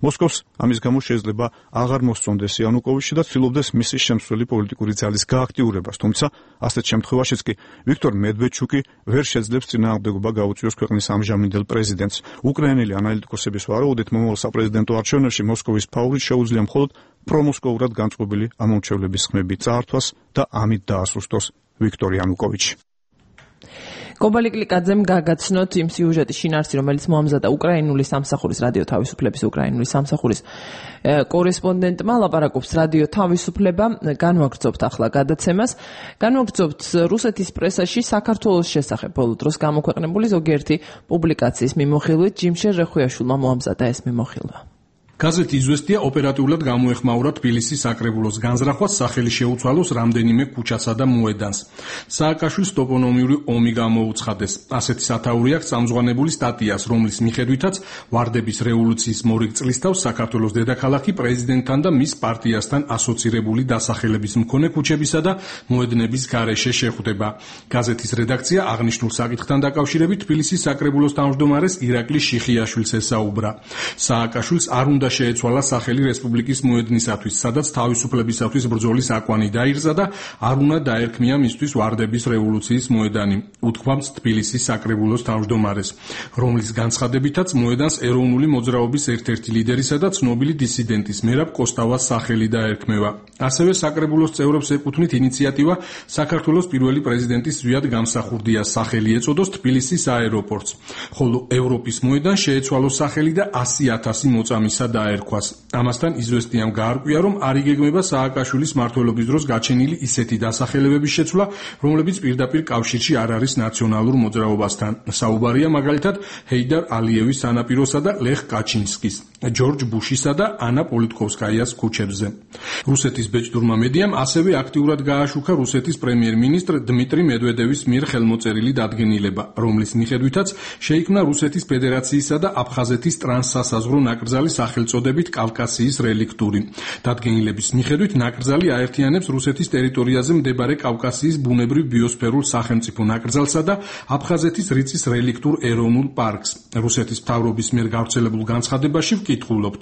მოსკოვს ამის გამო შეიძლება აღარ მოსწონდეს იანუკოვიჩი და ცდილობდეს მისი შემცვლელი პოლიტიკური ძალის გააქტიურებას, თუმცა ასეთ შემთხვევაშიც კი ვიქტორ მედვედჩუკი ვერ შეძლებს წინააღმდეგობა გაუწიოს ქვეყნის ამჟამინდელ პრეზიდენტს. უკრაინელი ანალიტიკოსების ვარაუდით, მომავალ საპრეზიდენტო არჩევნებში მოსკოვის ფავრით შეუძლია მხოლოდ პრომოსკოურად განწყობილი ამომრჩევლების ხმები წაართვას და ამით დაასუსტოს ვიქტორ იანუკოვიჩი. კობალი კლიკაძემ გაგაცნოთ იმ სიუჟეტის შინაარსი, რომელიც მოამზადა უკრაინული სამსახურის რადიო თავისუფლების უკრაინული სამსახურის კორესპონდენტმა. ლაპარაკობს რადიო თავისუფლება. განვაგრძობთ ახლა გადაცემას. განვაგრძობთ რუსეთის პრესაში საქართველოს შესახებ ბოლო დროს გამოქვეყნებული ზოგიერთი პუბლიკაციის მიმოხილვით. ჯიმშერ რეხუიაშვილმა მოამზადა ეს მიმოხილვა. გაზეთი „იზვესტია“ ოპერატიულად გამოეხმაურა თბილისის საკრებულოს განზრახვას, სახელი შეუცვალოს რამდენიმე ქუჩასა და მოედანს. სააკაშვილის ტოპონიმიური ომი გამოუცხადეს. ასეთი სათაური აქვს წამზღვანებული სტატიას, რომლის მიხედვითაც ვარდების რევოლუციის მორიგ წლისთავს საქართველოს დედაქალაქი პრეზიდენტთან და მის პარტიასთან ასოცირებული დასახელების მქონე ქუჩებისა და მოედნების გარეშე შეხვდება. გაზეთის რედაქცია აღნიშნულ საკითხთან დაკავშირებით თბილისის საკრებულოს თავმჯდომარეს ირაკლი შიხიაშვილს ესაუბრა. სააკაშვილს არ უნდა შეეცვალა სახელი რესპუბლიკის მოედნისათვის, სადაც თავისუფლებისათვის ბრძოლის აკვანი დაირზა და არ უნდა დაერქმია მისთვის ვარდების რევოლუციის მოედანი, უთქვამს თბილისის საკრებულოს თავმჯდომარეს, რომლის განცხადებითაც მოედანს ეროვნული მოძრაობის ერთ-ერთი ლიდერისა და ცნობილი დისიდენტის მერაბ კოსტავას სახელი დაერქმევა. ასევე საკრებულოს წევრებს ეკუთვნით ინიციატივა საქართველოს პირველი პრეზიდენტის ზვიად გამსახურდიას სახელი ეწოდოს თბილისის აეროპორტს, ხოლო ევროპის მოედანს შეეცვალოს სახელი და ასი ათასი მოწამისა დაერქვას. ამასთან „იზვესტიამ“ გაარკვია, რომ არ იგეგმება სააკაშვილის მმართველობის დროს გაჩენილი ისეთი დასახელებების შეცვლა, რომლებიც პირდაპირ კავშირში არ არის ნაციონალურ მოძრაობასთან. საუბარია მაგალითად ჰეიდარ ალიევის სანაპიროსა და ლეხ კაჩინსკის, ჯორჯ ბუშისა და ანა პოლიტკოვსკაიას ქუჩებზე. რუსეთის ბეჭდურმა მედიამ ასევე აქტიურად გააშუქა რუსეთის პრემიერ-მინისტრ დმიტრი მედვედევის მიერ ხელმოწერილი დადგენილება, რომლის მიხედვითაც შეიქმნა რუსეთის ფედერაციისა და აფხაზეთის ტრანსსასაზღვრო ნაკრძალი სახელწოდებით კავკასიის რელიქტური. დადგენილების მიხედვით ნაკრძალი აერთიანებს რუსეთის ტერიტორიაზე მდებარე კავკასიის ბუნებრივ ბიოსფერულ სახელმწიფო ნაკრძალსა და აფხაზეთის რიწის რელიქტურ ეროვნულ პარკს. რუსეთის მთავრობის მიერ გავრცელებულ განცხადებაში ვკითხულობთ.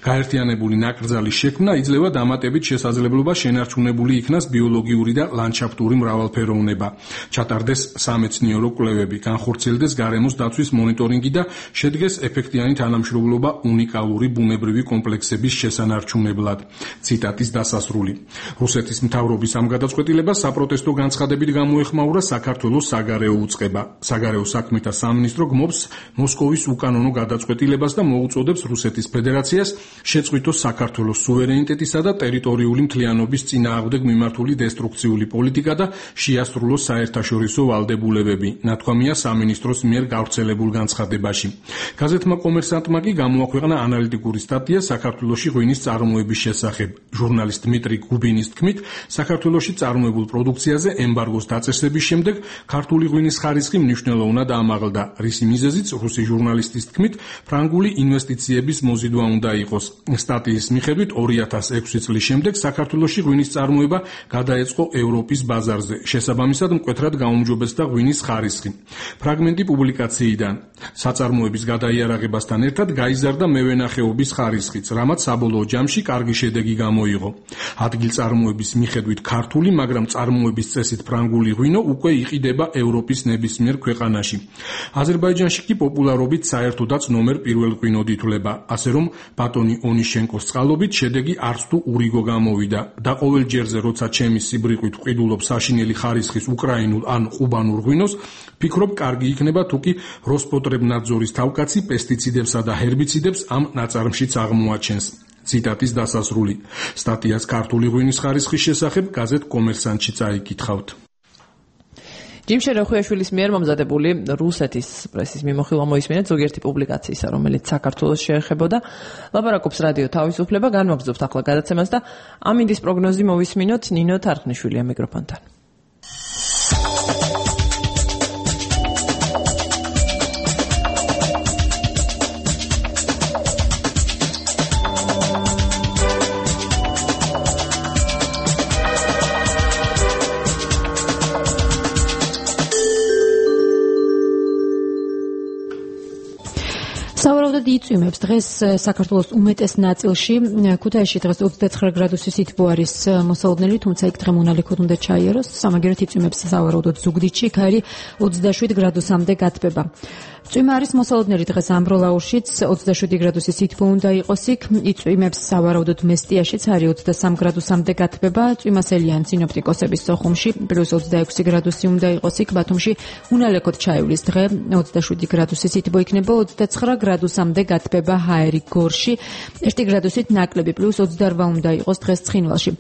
გაერთიანებული ნაკრძალის შექმნა იძლევა დამატებით შესაძლებლობა შენარჩუნებული იქნას ბიოლოგიური და ლანდშაფტური მრავალფეროვნება, ჩატარდეს სამეცნიერო კვლევები, განხორციელდეს გარემოს დაცვის მონიტორინგი და შედგეს ეფექტიანი თანამშრომლობა უნიკალური ბუნებრივი კომპლექსების შესანარჩუნებლად. ციტატის დასასრული. რუსეთის მთავრობის ამ გადაწყვეტილებას საპროტესტო განცხადებით გამოეხმაურა საქართველოს საგარეო უწყება. საგარეო საქმეთა სამინისტრო გმობს მოსკოვის უკანონო გადაწყვეტილებას და მოუწოდებს რუსეთის ფედერაციას შეწყვიტოს საქართველოს სუვერენიტეტისა და ტერიტორიული მთლიანობის წინააღმდეგ მიმართული დესტრუქციული პოლიტიკა და შეასრულოს საერთაშორისო ვალდებულებები, ნათქვამია სამინისტროს მიერ გავრცელებულ განცხადებაში. გაზეთმა კომერსანტმა კი გამოაქვეყნა ანალიტიკური სტატია საქართველოში ღვინის წარმოების შესახებ. ჟურნალისტ დმიტრი გუბინის თქმით, საქართველოში წარმოებულ პროდუქციაზე ემბარგოს დაწესების შემდეგ ქართული ღვინის ხარისხი მნიშვნელოვნად ამაღლდა, რის მიზეზიც რუსი ჟურნალისტის თქმით, ფრანგული ინვესტიციების მოზიდვა უნდა იყოს. სტატიის მიხედვით ორი ათას ექვსი წლის შემდეგ საქართველოში ღვინის წარმოება გადაეწყო ევროპის ბაზარზე. შესაბამისად მკვეთრად გაუმჯობესდა ღვინის ხარისხი. ფრაგმენტი პუბლიკაციიდან. საწარმოების გადაიარაღებასთან ერთად გაიზარდა მევენახეობის ხარისხიც, რამაც საბოლოო ჯამში კარგი შედეგი გამოიღო. ადგილწარმოების მიხედვით ქართული, მაგრამ წარმოების წესით ფრანგული ღვინო უკვე იყიდება ევროპის ნებისმიერ ქვეყანაში. აზერბაიჯანში კი პოპულარობით საერთოდაც ნომერ პირველ ღვინოდ ითვლება, ასე რომ ბატონი ონიშენკოს წყალობით შედეგი არც თუ ურიგო გამოვიდა და ყოველ ჯერზე როცა ჩემი სიბრიყვით ვყიდულობ საშინელი ხარისხის უკრაინულ ან ყუბანურ ღვინოს, ფიქრობ კარგი იქნება თუ კი როსპოტრებნაძორის თავკაცი პესტიციდებსა და ჰერბიციდებს ამ ნაწარმშიც აღმოაჩენს. ციტატის დასასრული. სტატიას ქართული ღვინის ხარისხის შესახებ გაზეთ კომერსანტში წაიკითხავთ. ჯიმ შეროხვიაშვილის მიერ მომზადებული რუსეთის პრესის მიმოხილვა მოისმინეთ ზოგიერთი პუბლიკაციისა, რომელიც საქართველოს შეეხებოდა. ლაპარაკობს რადიო თავისუფლება, განვაგრძობთ ახლა გადაცემას და ამინდის პროგნოზი მოვისმინოთ ნინო თარხნიშვილია მიკროფონთან. სავარაუდოდ იწვიმებს დღეს საქართველოს უმეტეს ნაწილში. ქუთაისში დღეს ოცდაცხრა გრადუსი სითბო არის მოსალოდნელი, თუმცა იქ დღე მონალექოდ უნდა ჩაიაროს. სამაგერად იწვიმებს სავარაუდოდ ზუგდიდში, იქ არის ოცდაშვიდ გრადუსამდე გათბება. წვიმა არის მოსალოდნელი დღეს ამბროლაურშიც ოცდაშვიდი გრადუსი სითბო უნდა იყოს იქ. იწვიმებს სავარაუდოდ მესტიაშიც არის ოცდასამ გრადუსამდე გათბება. წვიმასელიან სინოპტიკოსების სოხუმში პლუს ოცდაექვსი გრადუსი უნდა იყოს იქ. ბათუმში უნალექოდ ჩაივლის დღე ოცდაშვიდი გრადუსი სითბო იქნება, ოცდაცხრა გრადუსამდე გათბება ჰაერი გორში, ერთი გრადუსით ნაკლები პლუს ოცდარვა უნდა იყოს დღეს ცხინვალში.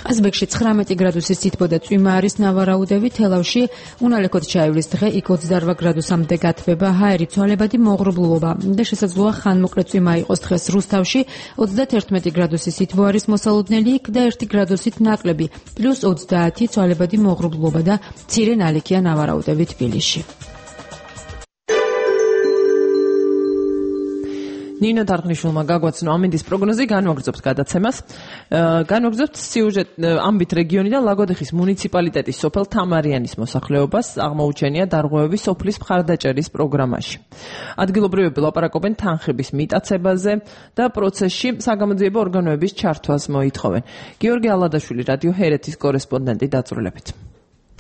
ყაზბეგში ცხრამეტი გრადუსი სითბო და წვიმა არის ნავარაუდები, თელავში უნალექოდ ჩაივლის დღე იქ ოცდარვა გრადუსამდე გათბება ჰაერი ცვალებადი მოღრუბლულობა და შესაძლოა ხანმოკლე წვიმა იყოს დღეს რუსთავში, ოცდათერთმეტი გრადუსი სითბო არის მოსალოდნელი იქ და ერთი გრადუსით ნაკლები პლუს ოცდაათი ცვალებადი მოღრუბლულობა და მცირე ნალექია ნავარაუდები თბილისში. ნინო თარხნიშვილმა გაგვაცნო ამინდის პროგნოზი, განვაგრძობთ გადაცემას. განვაგრძობთ სიუჟეტ ამბით რეგიონიდან ლაგოდეხის მუნიციპალიტეტის სოფელ თამარიანის მოსახლეობას აღმოუჩენია დარღვევები სოფლის მხარდაჭერის პროგრამაში. ადგილობრივები ლაპარაკობენ თანხების მიტაცებაზე და პროცესში საგამოძიებო ორგანოების ჩართვას მოითხოვენ. გიორგი ალადაშვილი, რადიო ჰერეთის კორესპონდენტი, დაწვრილებთ.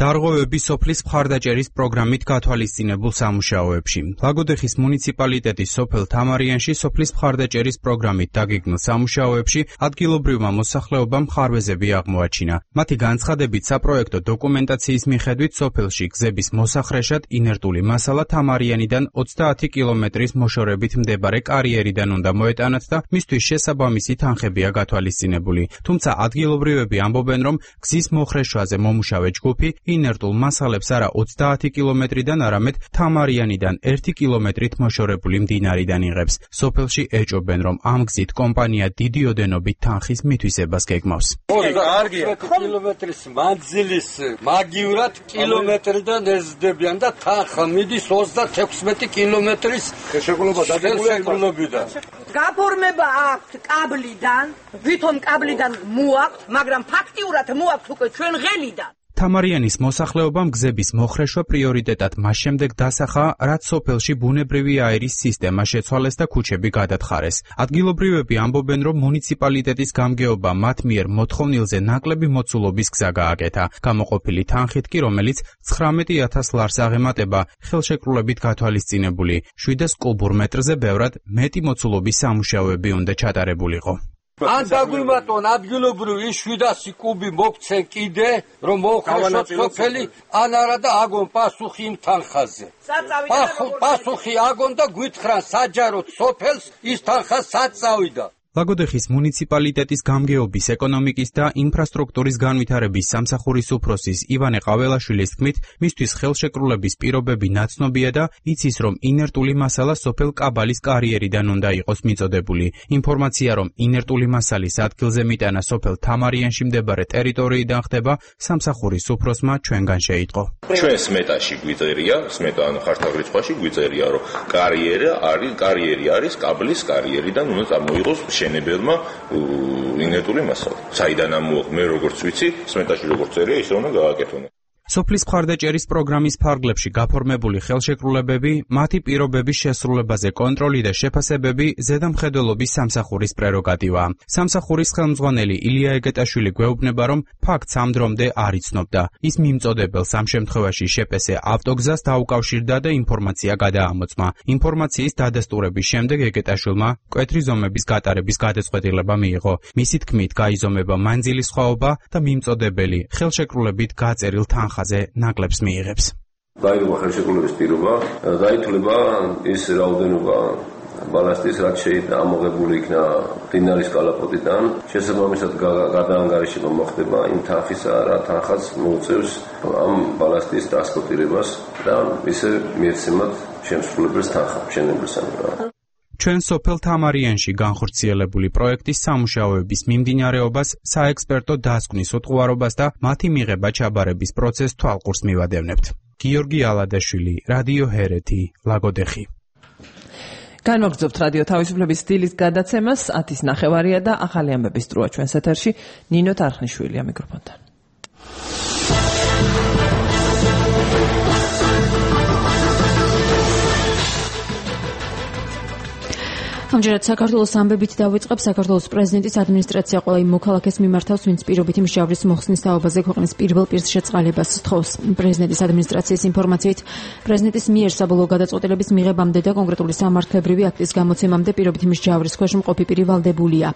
დარღვევები სოფლის მხარდაჭერის პროგრამით გათვალისწინებულ სამუშაოებში. ლაგოდეხის მუნიციპალიტეტის სოფელ თამარიანში სოფლის მხარდაჭერის პროგრამით დაგეგმილ სამუშაოებში ადგილობრივმა მოსახლეობამ მხარვეზები აღმოაჩინა. მათი განცხადებით, საპროექტო დოკუმენტაციის მიხედვით სოფელში გზების მოსახრეშად ინერტული მასალა თამარიანიდან ოცდაათი კილომეტრის მოშორებით მდებარე კარიერიდან უნდა მოეტანათ და მისთვის შესაბამისი თანხებია გათვალისწინებული. თუმცა ადგილობრივები ამბობენ, რომ გზის მოხრეშვაზე მომუშავე ჯგუფი ინერტულ მასალებს არა ოცდაათი კილომეტრიდან, არამედ თამარიანიდან ერთი კილომეტრით მოშორებული მდინარიდან იღებს. სოფელში ეჭობენ, რომ ამ გზით კომპანია დიდი ოდენობით თანხის მითვისებას გეგმავს. ოცდაათი კილომეტრის მანძილის მაგივრად კილომეტრიდან ეზრდებიან და თანხა მიდის ოცდათექვსმეტი კილომეტრის შეგულობიდან. გაფორმება აქვს კაბლიდან, ვითომ კაბლიდან მოაქვს, მაგრამ ფაქტიურად მოაქვს უკვე ჩვენ ღელიდან. თამარიანის მოსახლეობამ გზების მოხრეშვა პრიორიტეტად მას შემდეგ დასახა, რაც სოფელში ბუნებრივი აერის სისტემა შეცვალეს და ქუჩები გადათხარეს. ადგილობრივები ამბობენ, რომ მუნიციპალიტეტის გამგეობა მათ მიერ მოთხოვნილზე ნაკლები მოცულობის გზა გააკეთა. გამოყოფილი თანხით კი, რომელიც ცხრამეტი ათას ლარს აღემატება, ხელშეკრულებით გათვალისწინებული. შვიდას კუბურ მეტრზე ბევრად მეტი მოცულობის სამუშაოები უნდა ჩატარებულიყო. ან დაგვიმატონ ადგილობრივი შვიდასი კუბი მოგცენ კიდე, რომ მოუხარშოთ სოფელი, ან არა და აგონ პასუხი იმ თანხაზე. პასუხი აგონ და გვითხრან საჯაროდ სოფელს ის თანხა სად წავიდა. ლაგოდეხის მუნიციპალიტეტის გამგეობის, ეკონომიკის და ინფრასტრუქტურის განვითარების სამსახურის უფროსის ივანე ყაველაშვილის თქმით, მისთვის ხელშეკრულების პირობები ნაცნობია და იცის, რომ ინერტული მასალა სოფელ კაბალის კარიერიდან უნდა იყოს მიწოდებული. ინფორმაცია, რომ ინერტული მასალის ადგილზე მიტანა სოფელ თამარიანში მდებარე ტერიტორიიდან ხდება, სამსახურის უფროსმა ჩვენგან შეიტყო. ჩვენ სმეტაში გვიწერია, სმეტა ან ხართავ რიცხვაში გვიწერია, რომ კარიერი არის კარიერი არის კაბლის კარიერიდან უნდა წარმოიღოს შენებელმა ინერტული მასალა. საიდან ამოიღ მე როგორც ვიცი, სმეტაში როგორც წერია, ისე უნდა გააკეთონ. სოფლის მხარდაჭერის პროგრამის ფარგლებში გაფორმებული ხელშეკრულებები, მათი პირობების შესრულებაზე კონტროლი და შეფასებები ზედამხედველობის სამსახურის პრეროგატივაა. სამსახურის ხელმძღვანელი ილია ეგეტაშვილი გვეუბნება, რომ ფაქტს ამ დრომდე არ იცნობდა. ის მიმწოდებელს ამ შემთხვევაში შეპესე ავტოგზას დაუკავშირდა და ინფორმაცია გადაამოწმა. ინფორმაციის დადასტურების შემდეგ ეგეტაშვილმა მკვეთრი ზომების გატარების გადაწყვეტილება მიიღო. მისი თქმით, გაიზომება მანძილის სხვაობა და მიმწოდებელი ხელშეკრულებით გაწერილ თანხაზე ნაკლებს მიიღებს. გაიგო ხელშეკრულების პირობა, დაითვლება ის რაოდენობა ბალასტის, რაც შეიძლება ამოღებული იქნა მდინარის კალაპოტიდან, შესაბამისად გადაანგარიშება მოხდება იმ თანხისა, რა თანხაც მოუწევს ამ ბალასტის ტრანსპორტირებას და ისე მიეცემათ შემსრულებელს თანხა, მშენებელსა. ჩვენ სოფელ თამარიანში განხორციელებული პროექტის სამუშაოების მიმდინარეობას, საექსპერტო დასკვნის უტყუარობას და მათი მიღება ჩაბარების პროცესს თვალყურს მივადევნებთ. გიორგი ალადაშვილი, რადიო ჰერეთი, ლაგოდეხი. განვაგრძობთ რადიო თავისუფლების სტილის გადაცემას, ათის ნახევარია და ახალი ამბების დროა ჩვენს ეთერში. ნინო თარხნიშვილია მიკროფონთან. ამჯერად საქართველოს ამბებით დავიწყებ. საქართველოს პრეზიდენტის ადმინისტრაცია ყველა იმ მოქალაქეს მიმართავს, ვინც პირობით მჟავრის მოხსნის თაობაზე ქვეყნის პირველ პირს შეწყალებას სთხოვს. პრეზიდენტის ადმინისტრაციის ინფორმაციით, პრეზიდენტის მიერ საბოლოო გადაწყვეტილების მიღებამდე და კონკრეტული სამართლებრივი აქტის გამოცემამდე პირობით მჟავრის ქვეშ მყოფი პირი ვალდებულია.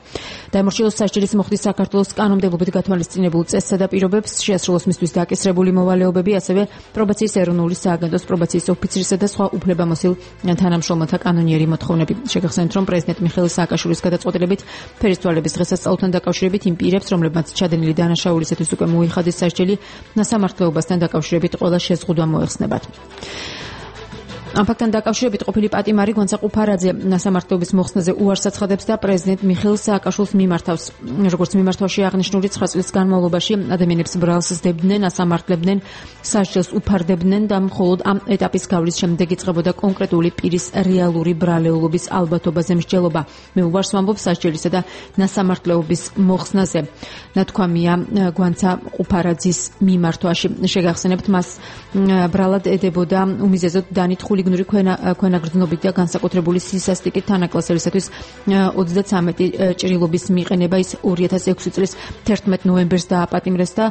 დაემორჩილოს სასჯელის მოხდის საქართველოს კანონმდებლობით გათვალისწინებულ წესსა და პირობებს, შეასრულოს მისთვის დაკისრებული მოვალეობები, ასევე პრობაციის ეროვნული სააგენტოს პრობაციის ოფიცრისა და სხვა უფლებამოსილ თანამშრომელთა კანონიერი მოთხოვნები. შეგახსენებთ, რომ პრეზიდენტ მიხეილ სააკაშვილის გადაწყვეტილებით ფერისცვალების დღესასწაულთან დაკავშირებით იმ პირებს, რომლებმაც ჩადენილი დანაშაულისათვის უკვე მოიხადეს სასჯელი, ნასამართლეობასთან დაკავშირებით ყველა შეზღუდვა მოეხსნებათ. ამ ფაქტთან დაკავშირებით ყოფილი პატიმარი გვანცა ყუფარაძე ნასამართლეობის მოხსნაზე უარს აცხადებს და პრეზიდენტ მიხეილ სააკაშვილს მიმართავს. როგორც მიმართვაში აღნიშნული ცხრა წლის განმავლობაში ადამიანებს ბრალს სდებდნენ, ასამართლებდნენ, სასჯელს უფარდებდნენ და მხოლოდ ამ ეტაპის გავლის შემდეგ იწყებოდა კონკრეტული პირის რეალური ბრალეულობის ალბათობაზე მსჯელობა. მე უარს ვამბობ სასჯელისა და ნასამართლეობის მოხსნაზე. ნათქვამია გვანცა ყუფარაძის მიმართვაში. შეგახსენებთ, მას ბრალად ედებოდა უმიზეზოდ დანითხული გნური ქვენაგრძნობით და განსაკუთრებული სისასტიკით თანაკლასელისათვის ოცდათვრამეტი ჭრილობის მიყენება. ის ორი ათას ექვსი წლის თერთმეტ ნოემბერს დააპატიმრეს და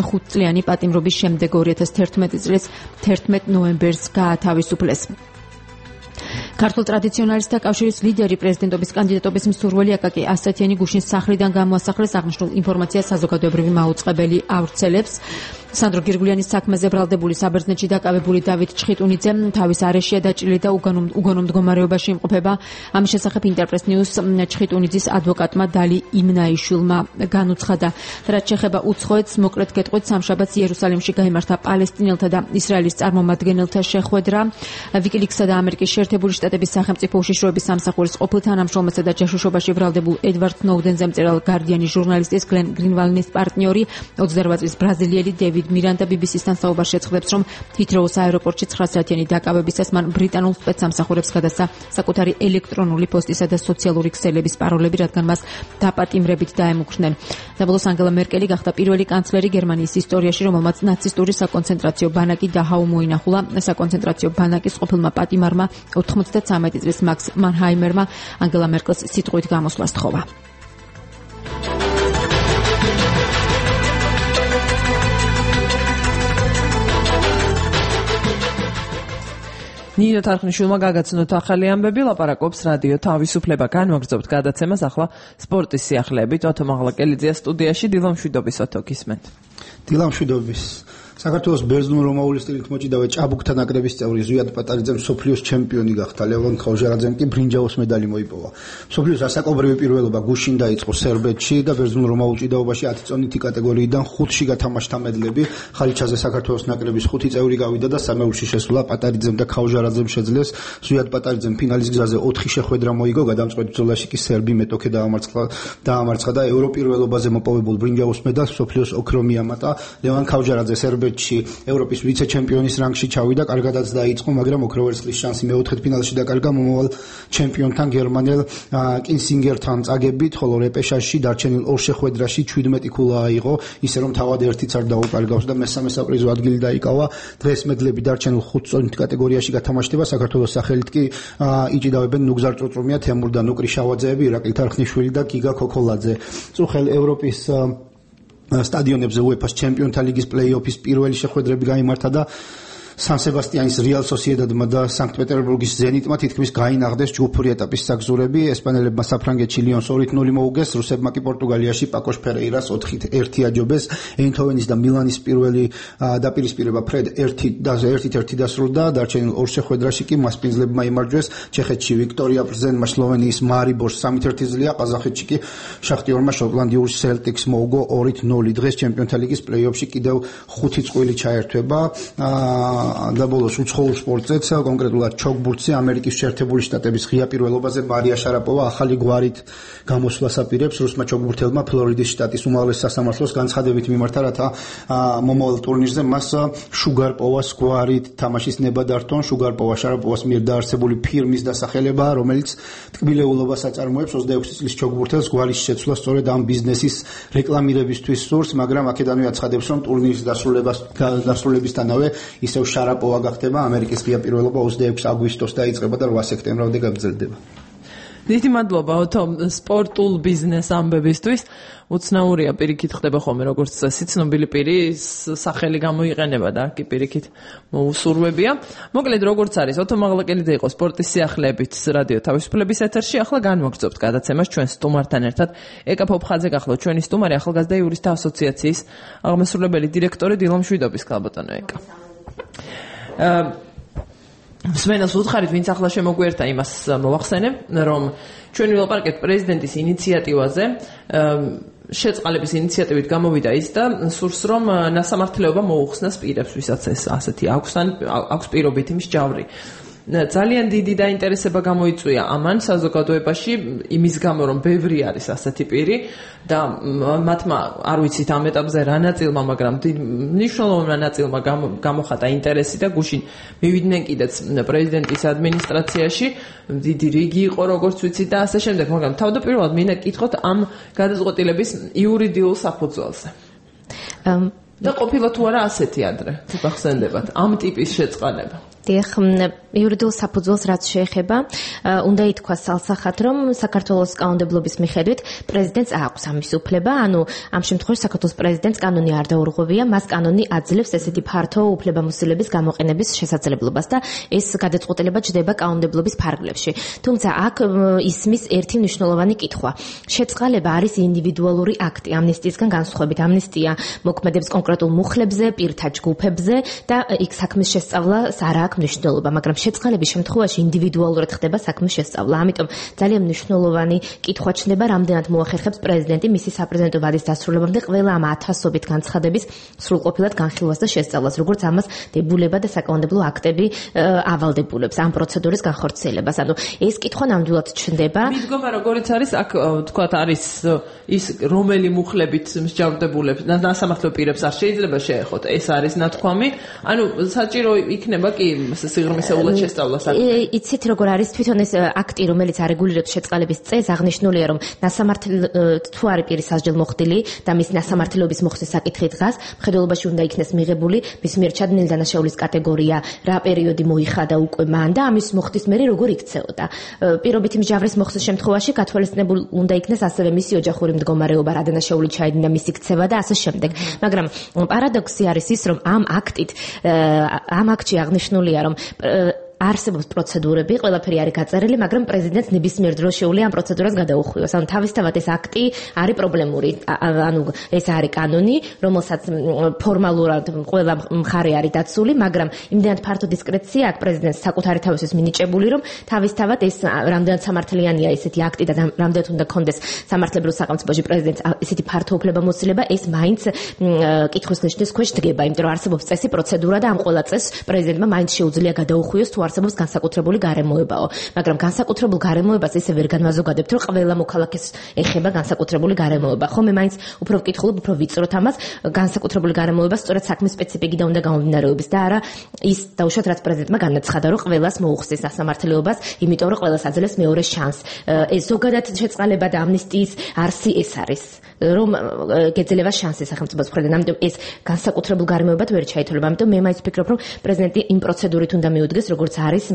ხუთწლიანი პატიმრობის შემდეგ ორი ათას თერთმეტი წლის თერთმეტ ნოემბერს გაათავისუფლეს. ქართულ ტრადიციონალისტთა კავშირის ლიდერი პრეზიდენტობის კანდიდატობის მსურველი აკაკი ასათიანი გუშინ სახლიდან გამოასახლეს. აღნიშნულ ინფორმაციას საზოგადოებრივი მაუწყებელი ავრცელებს. სანდრო გირგულიანის საქმეზე ბრალდებული საბერძნეთში დაკავებული დავით ჩხიტუნიძე თავის არეშია დაჭრილი და უგონო მდგომარეობაში იმყოფება. ამის შესახებ ინტერპრეს ნიუს ჩხიტუნიძის ადვოკატმა დალი იმნაიშვილმა განუცხადა. რაც შეეხება უცხოეთს, მოკლედ გეტყვით, სამშაბათს იერუსალიმში გაიმართა პალესტინელთა და ისრაელის წარმომადგენელთა შეხვედრა. ვიკილիქსსა და ამერიკის შეერთებული შტატების სახელმწიფო უშიშროების სამსახურის ყოფილ თანამშრომელსა და ჯაშუშობაში ბრალდებულ ედვარდ სნოუდენზე მწერალ გარდიანის ჟურნალისტის გლენ გრინვალნის პარტნიორი ოცდარბა წლის ბრაზილიელი დევიდ მირანდა ბი ბი სი-სთან საუბარში ეცხადებს, რომ ჰითროუს აეროპორტში ცხრა საათიანი დაკავებისას მან ბრიტანულ სპეცსამსახურებს გადასცა საკუთარი ელექტრონული პოსტისა და სოციალური ქსელების პაროლები, რადგან მას დაპატიმრებით დაემუქრნენ. საბოლოოს ანგელა მერკელი გახდა პირველი კანცლერი გერმანიის ისტორიაში, რომელმაც ნაცისტური საკონცენტრაციო ბანაკი დაჰაუ მოინახულა. საკონცენტრაციო ბანაკის ყოფილმა პატიმარმა ოთხმოცდათვრამეტი წლის მაქს მანჰაიმერმა ანგელა მერკელს სიტყვით გამოსვლა სთხოვა. ნინო თარხნიშვილმა გაგაცნოთ ახალი ამბები, ლაპარაკობს რადიო თავისუფლება. განვაგრძობთ გადაცემას ახლა სპორტის სიახლეებით. ოთო მაღლაკელიძეა სტუდიაში. დილამშვიდობის ოთო, გისმენთ. დილამშვიდობის. საქართველოს ბერძნულ-რომაული სტილით მოჭიდავე ჭაბუკთა ნაკრების წევრი ზვიად პატარიძემ მსოფლიოს ჩემპიონი გახდა. ლევან ხავჟარაძემ კი ბრინჯაოს медаლი მოიპოვა. მსოფლიოს ასაკობრივი პირველობა გუშინ დაიწყო სერბეთში და ბერძნულ-რომაულ ჭიდაობაში ათი წონითი კატეგორიიდან ხუთში გათამაშდა მედლები. ხალიჩაზე საქართველოს ნაკრების ხუთი წევრი გავიდა და სამეულში შესვლა პატარიძემ და ხავჟარაძემ შეძლეს. ზვიად პატარიძემ ფინალის გზაზე ოთხი შეხვედრა მოიგო, გადამწყვეტ ბრძოლაში კი სერბი მეტოქე დაამარცხა დაამარცხა და ევროპირველობაზე მოპოვებულ ბრინჯაოს медаლს მსოფლიოს ოქრო მიამატა. ლევან ხავჟარაძე სერბეთში ევროპის ვიცე-ჩემპიონის რანგში ჩავიდა, კარგადაც დაიწყო, მაგრამ ოქროვერცხლის შანსი მეოთხედფინალში დაკარგა მომავალ ჩემპიონთან გერმანელ კინსინგერთან წაგებით, ხოლო რეპეშაჟში დარჩენილ ორ შეხვედრაში ჩვიდმეტი ქულა აიღო, ისე რომ თავად ერთიც არ დაუკარგავს და მესამე საპრიზო ადგილი დაიკავა. დღეს მედლები დარჩენილ ხუთ წონით კატეგორიაში გათამაშდება, საქართველოს სახელით კი იჭიდავებენ ნუგზარ წოწრომია, თემურ და ნუკრი შავაძეები, ირაკლი თარხნიშვილი და გიგა ქოქოლაძე. წუხელ ევროპის სტადიონებზე უეფა-ს ჩემპიონთა ლიგის პლეი-ოფის პირველი შეხვედრები გაიმართა და სან სებასტიანის რეალ სოსიედადმა და სანქტ-პეტერბურგის ზენიტმა თითქმის გაინაღდეს ჯგუფური ეტაპის საგზურები. ესპანელებმა საფრანგეთში ლიონს ორით ნული მოუგეს, რუსებმა კი პორტუგალიაში პაკოშ ფერეირას ოთხით ერთი აჯობეს. ეინთოვენის და მილანის პირველი დაპირისპირება ფრედ ერთით ერთი დასრულდა, დარჩენილ ორ შეხვედრაში კი მასპინძლებმა იმარჯვეს. ჩეხეთში ვიქტორია პრზენმა სლოვენიის მარიბორს სამით ერთი ზლია, ყაზახეთში კი შახტიორმა შოტლანდიურ სელტიკს მოუგო ორით ნული. დღეს ჩემპიონთა ლიგის პლეი-ოფში კიდევ ხუთი წყვილი ჩაერთვება. და ბოლოს უცხოურ სპორტზეც, კონკრეტულად ჩოგბურთზე ამერიკის შეერთებული შტატების ღია პირველობაზე მარია შარაპოვა ახალი გვარით გამოსვლას აპირებს. რუსმა ჩოგბურთელმა ფლორიდის შტატის უმაღლეს სასამართლოს განცხადებით მიმართა, რათა მომავალ ტურნირზე მას შუგარპოვას გვარით თამაშის ნება დართონ. შუგარპოვა შარაპოვას მიერ დაარსებული ფირმის დასახელებაა, რომელიც ტკბილეულობას აწარმოებს. ოცდაექვსი წლის ჩოგბურთელს გვარის შეცვლა სწორედ ამ ბიზნესის რეკლამირებისთვის სურს, მაგრამ აქედანვე აცხადებს, რომ ტურნირის დასრულებისთანავე ისევ შარაპოვა გახდება. ამერიკის ღია პირველობა ოცდაექვსი აგვისტოს დაიწყება და რვა სექტემბრამდე გაგრძელდება. დიდი მადლობა ოთო სპორტულ ბიზნეს ამბებისთვის. უცნაურია, პირიქით ხდება ხოლმე როგორც წესი, ცნობილი პირის სახელი გამოიყენება და კი პირიქით მოუსურვებია. მოკლედ როგორც არის, ოთო მაღლაკელიძე იყო სპორტის სიახლეებით რადიო თავისუფლების ეთერში. ახლა განვაგრძობთ გადაცემას ჩვენ სტუმართან ერთად. ეკა ფოფხაძე გახლავთ ჩვენი სტუმარი, ახალგაზრდა იურისტთა ასოციაციის აღმასრულებელი დირექტორი დილა მშვიდობის. ქალბატონო ეკა. მსმენელს უთხარით, ვინც ახლა შემოგვიერთა, იმას მოვახსენებ, რომ ჩვენ ვილაპარაკეთ პრეზიდენტის ინიციატივაზე, შეწყალების ინიციატივით გამოვიდა ის და სურს, რომ ნასამართლეობა მოუხსნას პირებს, ვისაც ეს ასეთი აქვს ან აქვს პირობითი მსჯავრი. ძალიან დიდი დაინტერესება გამოიწვია ამან საზოგადოებაში, იმის გამო, რომ ბევრი არის ასეთი პირი და მათმა არ ვიცით ამ ეტაპზე რა ნაწილმა, მაგრამ მნიშვნელოვანმა ნაწილმა გამოხატა ინტერესი და გუშინ მივიდნენ კიდეც პრეზიდენტის ადმინისტრაციაში, დიდი რიგი იყო როგორც ვიცით და ასე შემდეგ, მაგრამ თავდაპირველად მინდა გკითხოთ ამ გადაწყვეტილების იურიდიულ საფუძველზე. და ყოფილა თუ არა ასეთი ადრე, გახსენდებათ, ამ ტიპის შეწყალება. დიახ, იურიდიულ საფუძველს რაც შეეხება, უნდა ითქვას სალსახად, რომ საქართველოს კანონმდებლობის მიხედვით პრეზიდენტს აქვს ამის უფლება, ანუ ამ შემთხვევაში საქართველოს პრეზიდენტს კანონი არ დაურღვევია, მას კანონი აძლევს ესეთი ფართო უფლებამოსილების გამოყენების შესაძლებლობას და ეს გადაწყვეტილება ჩდება კანონმდებლობის ფარგლებში. თუმცა აქ ისმის ერთი მნიშვნელოვანი კითხვა. შეწყალება არის ინდივიდუალური აქტი, ამნისტიისგან განსხვავებით. ამნისტია მოქმედებს კონკრეტულ მუხლებზე, პირთა ჯგუფებზე და იქ საქმის შესწავლას არ აქვს მნიშვნელობა, მაგრამ შეწყალების შემთხვევაში ინდივიდუალურად ხდება საქმის შესწავლა. ამიტომ ძალიან მნიშვნელოვანი კითხვა ჩნდება, რამდენად მოახერხებს პრეზიდენტი მისი საპრეზიდენტო ვადის დასრულებამდე ყველა ამ ათასობით განცხადების სრულყოფილად განხილვას და შესწავლას, როგორც ამას დებულება და საკანონმდებლო აქტები ავალდებულებს ამ პროცედურის განხორციელებას. ანუ ეს კითხვა ნამდვილად ჩნდება. მიდგომა როგორიც არის, აქ თქვათ არის ის რომელი მუხლებით მსჯავრდებულებს და ნასამართლო პირებს არ შეიძლება შეეხოთ. ეს არის ნათქვამი. ანუ საჭირო იქნება კი სიღრმისეულად შესწავლას. იცით როგორ არის თვითონ ეს აქტი, რომელიც არეგულირებს შეწყალების წესს, აღნიშნულია, რომ ნასამართლო თუ არის პირის სასჯელ მოხდილი და მის ნასამართლეობის მოხდის საკითხი დგას, მხედველობაში უნდა იქნეს მიღებული მის მიერ ჩადენილი დანაშაულის კატეგორია, რა პერიოდი მოიხადა უკვე მან და ამის მოხდის მერე როგორ იქცეოდა. პირობითი მსჯავრის მოხდის შემთხვევაში გათვალისწინებული უნდა იქნეს ასევე მისი ოჯახური მდგომარეობა, რა დანაშაული ჩაედინა მისი ქცევა და ასე შემდეგ. მაგრამ პარადოქსი არის ის, რომ ამ აქტით ამ აქტში აღნიშნულია, რომ არსებობს პროცედურები, ყველაფერი არის გაწერილი, მაგრამ პრეზიდენტს ნებისმიერ დროს შეუძლია ამ პროცედურას გადაუხვიოს. ანუ თავისთავად ეს აქტი არის პრობლემური. ანუ ეს არის კანონი, რომელსაც ფორმალურად ყველა მხარე არის დაცული, მაგრამ იმდენად ფართო დისკრეცია აქვს პრეზიდენტს საკუთარი თავისთვის მინიჭებული, რომ თავისთავად ეს რამდენად სამართლიანია ესეთი აქტი და რამდენად უნდა კონდეს სამართლებრივ სახელმწიფოში პრეზიდენტს ესეთი ფართო უფლებამოსილება, ეს მაინც კითხვის ნიშნის ქვეშ დგება, იმიტომ რომ არსებობს წესი, პროცედურა და ამ ყველა წესს პრეზიდენტმა მაინც შეუძლია გადაუხვიოს თუ არსებობს განსაკუთრებული გარემოებაო. მაგრამ განსაკუთრებულ გარემოებას ისე ვერ განმაზოგადებთ, რომ ყველა მოქალაქეს ეხება განსაკუთრებული გარემოება. ხომ მე მაინც უფრო ვკითხულობ, უფრო ვიწროთ ამას, განსაკუთრებული გარემოება სწორედ საქმის სპეციფიკიდან უნდა გამომდინარეობის და არა ის დაუშვათ რაც პრეზიდენტმა განაცხადა, რომ ყველას მოუხსეს ასამართლეობას, იმიტომ რომ ყველას აძლევს მეორე შანსს. ეს ზოგადად შეწყალება და ამნისტიის არსი ეს არის. რომ გეძლევა შანსი სახელმწიფოს მხრიდან. ამიტომ ეს განსაკუთრებულ გარემოებად ვერ ჩაითვლება. ამიტომ მე მაინც ვფიქრობ, რომ პრეზიდენტი იმ პროცედურით უნდა მიუდგეს, როგორც არის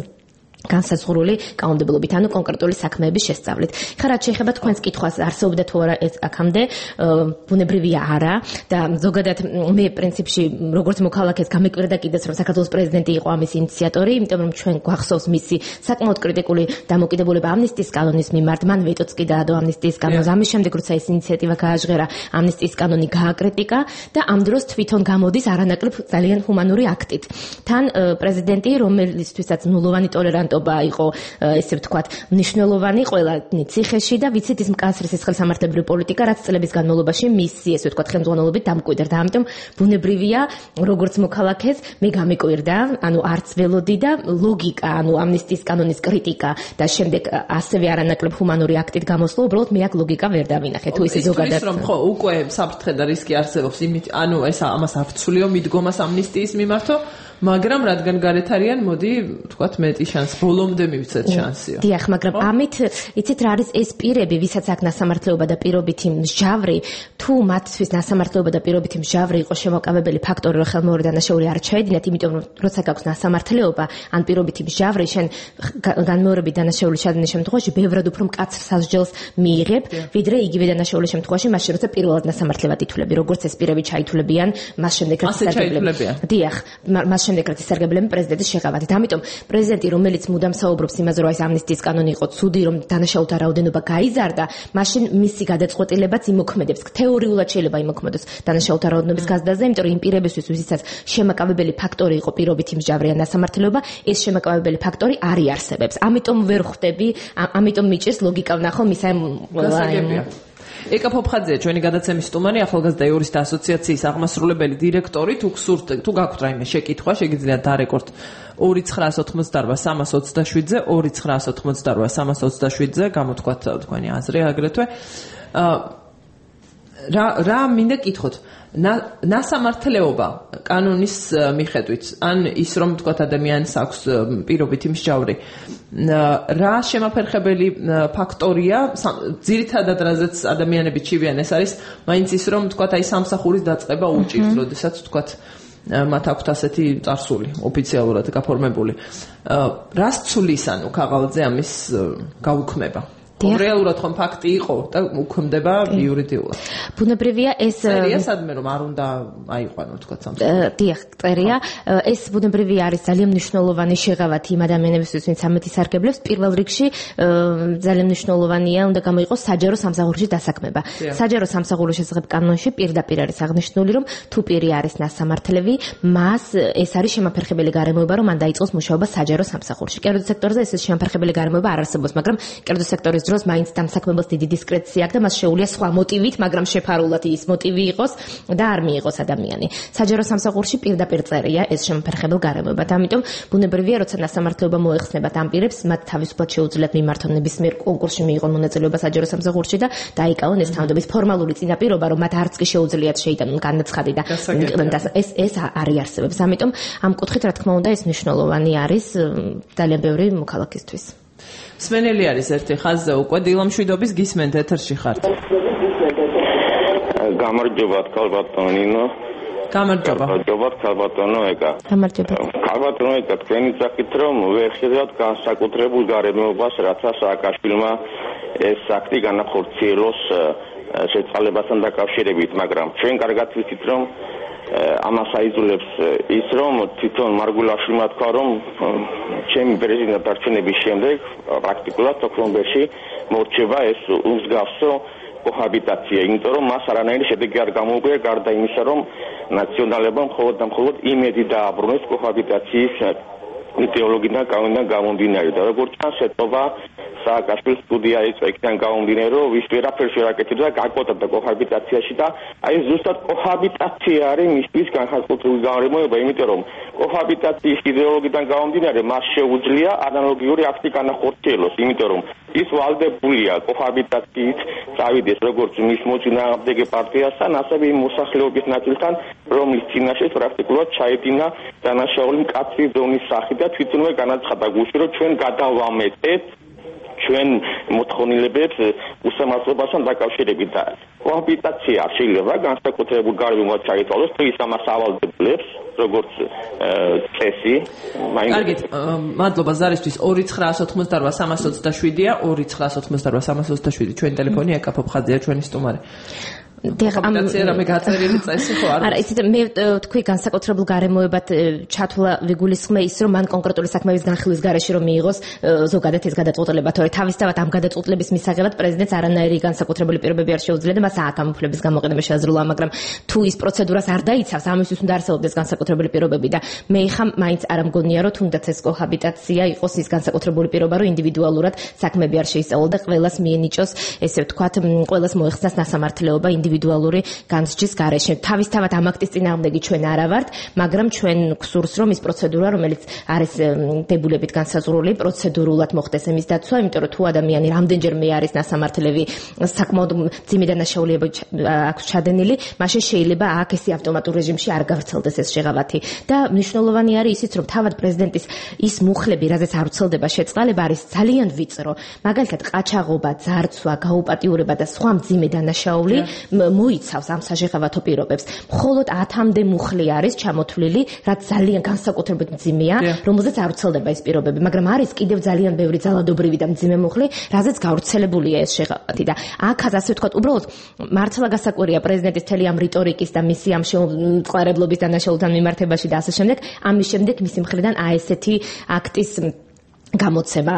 განსაზღვრული კანონმდებლობით, ანუ კონკრეტული საქმეების შესწავლით. ხა რაც შეეხება თქვენს კითხვას, არსებობდა თუ არა ეს აქამდე, ბუნებრივია არა და ზოგადად მე პრინციპში როგორც მოქალაქეს გამეკვირდა კიდეც რომ საქართველოს პრეზიდენტი იყო ამის ინიციატორი, იმიტომ რომ ჩვენ გვახსოვს მისი საკმაოდ კრიტიკული დამოკიდებულება ამნისტიის კანონის მიმართ, მან ვეტოც კი დაადო ამნისტიის კანონს, ამის შემდეგ როცა ეს ინიციატივა გააჟღერა, ამნისტიის კანონი გააკრიტიკა და ამ დროს თვითონ გამოდის არანაკლებ ძალიან ჰუმანური აქტით. თან პრეზიდენტი, რომელიცთვისაც ნულოვანი ტოლერანტ იყო ესე ვთქვათ მნიშვნელოვანი ყველა ციხეში და ვიცით ის მკაცრი სისხლის სამართლებრივი პოლიტიკა რაც წლების განმავლობაში მისი ესე ვთქვათ ხელმძღვანელობით დამკვიდრდა და ამიტომ ბუნებრივია როგორც მოქალაქეს მე გამეკვირდა ანუ არც ველოდი და ლოგიკა ანუ ამნისტიის კანონის კრიტიკა და შემდეგ ასევე არანაკლებ ჰუმანური აქტით გამოსვლა უბრალოდ მე აქ ლოგიკა ვერ დავინახე თუ ისე ზოგადად ის რომ ხო უკვე საფრთხე და რისკი არსებობს იმით ანუ ეს ამას არ ვცვლიო მიდგომას ამნისტიის მიმართო მაგრამ რადგან გარეთ არიან, მოდი, ვთქვათ, მეტი შანსი, ბოლომდე მივცეთ შანსიო. დიახ, მაგრამ ამით იცით რა არის ეს პირები, ვისაც აქვს ნასამართლეობა და პირობითი მსჯავრი, თუ მათთვის ნასამართლეობა და პირობითი მსჯავრი იყო შემოკავებელი ფაქტორი, რომ ხელმეორე დანაშაული არ ჩაედინათ, იმიტომ რომ როცა გაქვს ნასამართლეობა, ან პირობითი მსჯავრი, შენ განმეორებით დანაშაული ჩადენის შემთხვევაში ბევრად უფრო მკაცრ სასჯელს მიიღებ, ვიდრე იგივე დანაშაულის შემთხვევაში, მაშინ როცა პირველად ნასამართლებლად ითვლები, როგორც ეს პირები ჩაითვლებიან, მას შემდეგ რაც ისარგებლებიან. დიახ, მას შემდეგ რაც ისარგებლებენ პრეზიდენტის შეღავათით. ამიტომ პრეზიდენტი, რომელიც მუდამ საუბრობს იმაზე, რომ ეს ამნისტიის კანონი იყო ცუდი, რომ დანაშაულთა რაოდენობა გაიზარდა, მაშინ მისი გადაწყვეტილებაც იმოქმედებს. თეორიულად შეიძლება იმოქმედოს დანაშაულთა რაოდენობის გაზრდაზე, იმიტომ რომ იმ პირებისთვის, ვისაც შემაკავებელი ფაქტორი იყო პირობითი მსჯავრი ან ნასამართლეობა, ეს შემაკავებელი ფაქტორი არ იარსებებს. ამიტომ ვერ ხვდები, ამიტომ მიჭირს ლოგიკა ვნახო მის ამ ეკა ფოფხაძეა ჩვენი გადაცემის სტუმარი ახალგაზრდა იურისტთა ასოციაციის აღმასრულებელი დირექტორი თუ გსურთ თუ გაქვთ რაიმე შეკითხვა შეგიძლიათ დარეკორდ ორი ცხრაას ოცდაოთხ სამას ოცდაშვიდზე ორი ცხრაას ოცდაოთხ სამას ოცდაშვიდზე გამოთქვათ თქვენი აზრი აგრეთვე რა რა მინდა კითხოთ ნასამართლეობა კანონის მიხედვით ან ის რომ თქვათ ადამიანს აქვს პირობითი მსჯავრი რა შემაფერხებელი ფაქტორია ძირითადად რაზეც ადამიანები ჩივიან ეს არის მაინც ის რომ თქვათ აი სამსახურის დაწყება უჭირს როდესაც თქვათ მათ აქვთ ასეთი წარსული ოფიციალურად გაფორმებული რას ცulis ანუ ქაღალდზე ამის გაუქმება რეალურად ხომ ფაქტი იყო და უქმდება იურიდიულად. ბუნებრივია ეს წერია სადმე რომ არ უნდა აიყვანო თქვა სამსახური. დიახ, წერია ეს ბუნებრივია არის ძალიან მნიშვნელოვანი შეღავათი იმ ადამიანებისთვის, ვინც ამით ისარგებლებს. პირველ რიგში ძალიან მნიშვნელოვანია უნდა გამოიყოს საჯარო სამსახურში დასაქმება. საჯარო სამსახურის შესახებ კანონში პირდაპირ არის აღნიშნული, რომ თუ პირი არის ნასამართლები, მას ეს არის შემაფერხებელი გარემოება, რომ მან დაიწყოს მუშაობა საჯარო სამსახურში. კერძო სექტორზე ეს შემაფერხებელი გარემოება არ არსებობს, მაგრამ კერძო სექტორის დროს მაინც დამსაქმებელს დიდი დისკრეცია აქვს და მას შეუძლია სხვა მოტივით, მაგრამ შეფარულად ის მოტივი იყოს და არ მიიღოს ადამიანი. საჯარო სამსახურში პირდაპირ წერია ეს შემოფერხებელ გარემოებად. ამიტომ ბუნებრივია, როცა ნასამართლეობა მოეხსნებათ ამ პირებს, მათ თავისუფლად შეუძლიათ მიმართონ ნებისმიერ კონკურსში მიიღონ მონაწილეობა საჯარო სამსახურში და დაიკავონ ეს თანამდებობის ფორმალური წინაპირობა, რომ მათ არც კი შეუძლიათ შეიტანონ განაცხადი და ეს ეს არ იარსებებს. ამიტომ ამ კუთხით, რა თქმა უნდა, ეს მნიშვნელოვანი არის ძალიან ბევრი მოქალაქისთვის. სმენელი არის ერთი ხაზზე უკვე დილამშვიდობის გისმენთ ეთერში ხართ. გამარჯობა ქალბატონინო. გამარჯობა. გამარჯობა ქალბატონო ეკა. გამარჯობა. ქალბატონო ეკა თქვენი ძახით რომ ვერ ხედავთ განსაკუთრებულ გარემოებას რაცა სააკაშვილმა ეს აქტი განახორციელოს შეწყალებასთან დაკავშირებით, მაგრამ ჩვენ კარგად ვიცით რომ ამას აიძულებს ის, რომ თვითონ მარგულაშვილმა თქვა, რომ ჩემი პრეზიდენტ არჩევნების შემდეგ პრაქტიკულად ოქტომბერში მორჩება ეს უმსგავსო კოჰაბიტაცია, იმიტომ რომ მას არანაირი შედეგი არ გამოუკვია, გარდა იმისა, რომ ნაციონალებმა მხოლოდ და მხოლოდ იმედი დააბრუნეს კოჰაბიტაციის იდეოლოგიიდან კანონიდან გამომდინარე და როგორც ჩანს, ეტყობა სააკაშვილის სტუდია ეწვა იქიდან გამომდინარე, რომ ვის ვერაფერს ვერ აკეთებდა, გაკოტრდა კოჰაბიტაციაში და აი ზუსტად კოჰაბიტაცია არის მისთვის განხორციელებული გარემოება, იმიტომ რომ კოჰაბიტაციის იდეოლოგიიდან გამომდინარე მას შეუძლია ანალოგიური აქტი განახორციელოს, იმიტომ რომ ის ვალდებულია კოჰაბიტაციით წავიდეს როგორც მის მოწინააღმდეგე პარტიასთან, ასევე იმ მოსახლეობის ნაწილთან, რომლის წინაშე პრაქტიკულად ჩაედინა დანაშაული მკაცრი ზონის სახით და თვითონვე განაცხადა გულში, რომ ჩვენ გადავამეტეთ ჩვენ მოთხოვნილებებს უსამართლობასთან დაკავშირებით და კოჰაბიტაცია არ შეიძლება განსაკუთრებულ გარემოებად ჩაითვალოს, თუ ის ამას ავალდებლებს, როგორც წესი. კარგით, მადლობა ზარისთვის. ორი ცხრაას ოთხმოცდაორვა სამას ოცდაშვიდია, ორი ცხრაას ოცდაორვა სამას ოცდაშვიდი ჩვენი ტელეფონი, აკა ფოფხაძეა ჩვენი სტუმარი. კოჰაბიტაცია რამე გაწერილი წესი ხო არ არა იცით მე თქვი განსაკუთრებულ გარემოებად ჩათვლა ვიგულისხმე ის რომ მან კონკრეტული საქმეების განხილვის გარეშე რომ მიიღოს ზოგადად ეს გადაწყვეტილება თორე თავისთავად ამ გადაწყვეტილების მისაღებად პრეზიდენტს არანაირი განსაკუთრებული პირობები არ შეუძლია და მას აქ ამ უფლების გამოყენება შეაძლოა მაგრამ თუ ის პროცედურას არ დაიცავს ამისთვის უნდა არსებობდეს განსაკუთრებული პირობები და მე ხა მაინც არ მგონია რომ თუნდაც ეს კოჰაბიტაცია იყოს ის განსაკუთრებული პირობა რომ ინდივიდუალურად საქმეები არ შეისწავლოს და ყველას მიენიჭოს ესე ვთქვათ ყველას მოეხსნას ნასამართლეობა ინდივიდუალური განსჯის გარეშე. თავისთავად ამ აქტის წინააღმდეგი ჩვენ არა ვართ, მაგრამ ჩვენ გვსურს რომ ის პროცედურა, რომელიც არის დებულებით განსაზღვრული, პროცედურულად მოხდეს ამის დაცვა, იმიტომ რომ თუ ადამიანი რამდენჯერმე არის ნასამართლები, საკმაოდ მძიმე დანაშაულიება აქვს ჩადენილი, მაშინ შეიძლება აქ ესი ავტომატურ რეჟიმში არ გავრცელდეს ეს შეღავათი. და მნიშვნელოვანი არის ისიც, რომ თავად პრეზიდენტის ის მუხლები, რაზეც არ ვრცელდება შეწყალება, არის ძალიან ვიწრო. მაგალითად, ყაჩაღობა, ძარცვა, გაუპატიურება და სხვა მძიმე დანაშაული მოიცავს ამ საშეღავათო პირობებს. მხოლოდ ათამდე მუხლი არის ჩამოთვლილი, რაც ძალიან განსაკუთრებით მძიმეა, რომელზეც არ ვრცელდება ეს პირობები, მაგრამ არის კიდევ ძალიან ბევრი ძალადობრივი და მძიმე მუხლი, რაზეც გავრცელებულია ეს შეღავათი და აქაც ასე ვთქვათ, უბრალოდ მართლა გასაკვირია პრეზიდენტის თელი ამ რიტორიკის და მისი ამ შეწყარებლობის დანაშაულთან მიმართებაში და ასე შემდეგ, ამის შემდეგ მისი მხრიდან აი ესეთი აქტის გამოცემა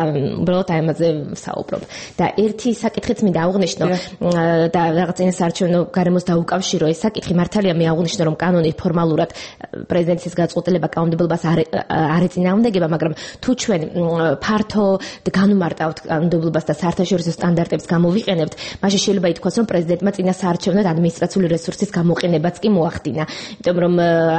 უბრალოდ აი ამაზე საუბრობ და ერთი საკითხიც მინდა აღვნიშნო და რაღაც წინასაარჩევნო გარემოს დაუკავშირო ეს საკითხი მართალია მე აღვნიშნო რომ კანონი ფორმალურად პრეზიდენტის გაწყვეტილება კანონმდებლობას არ ეწინააღმდეგება მაგრამ თუ ჩვენ ფართო განუმარტავთ კანონმდებლობას და საერთაშორისო სტანდარტებს გამოვიყენებთ მაშინ შეიძლება ითქვას რომ პრეზიდენტმა წინასაარჩევნო ადმინისტრაციული რესურსის გამოყენებაც კი მოახდინა იმიტომ რომ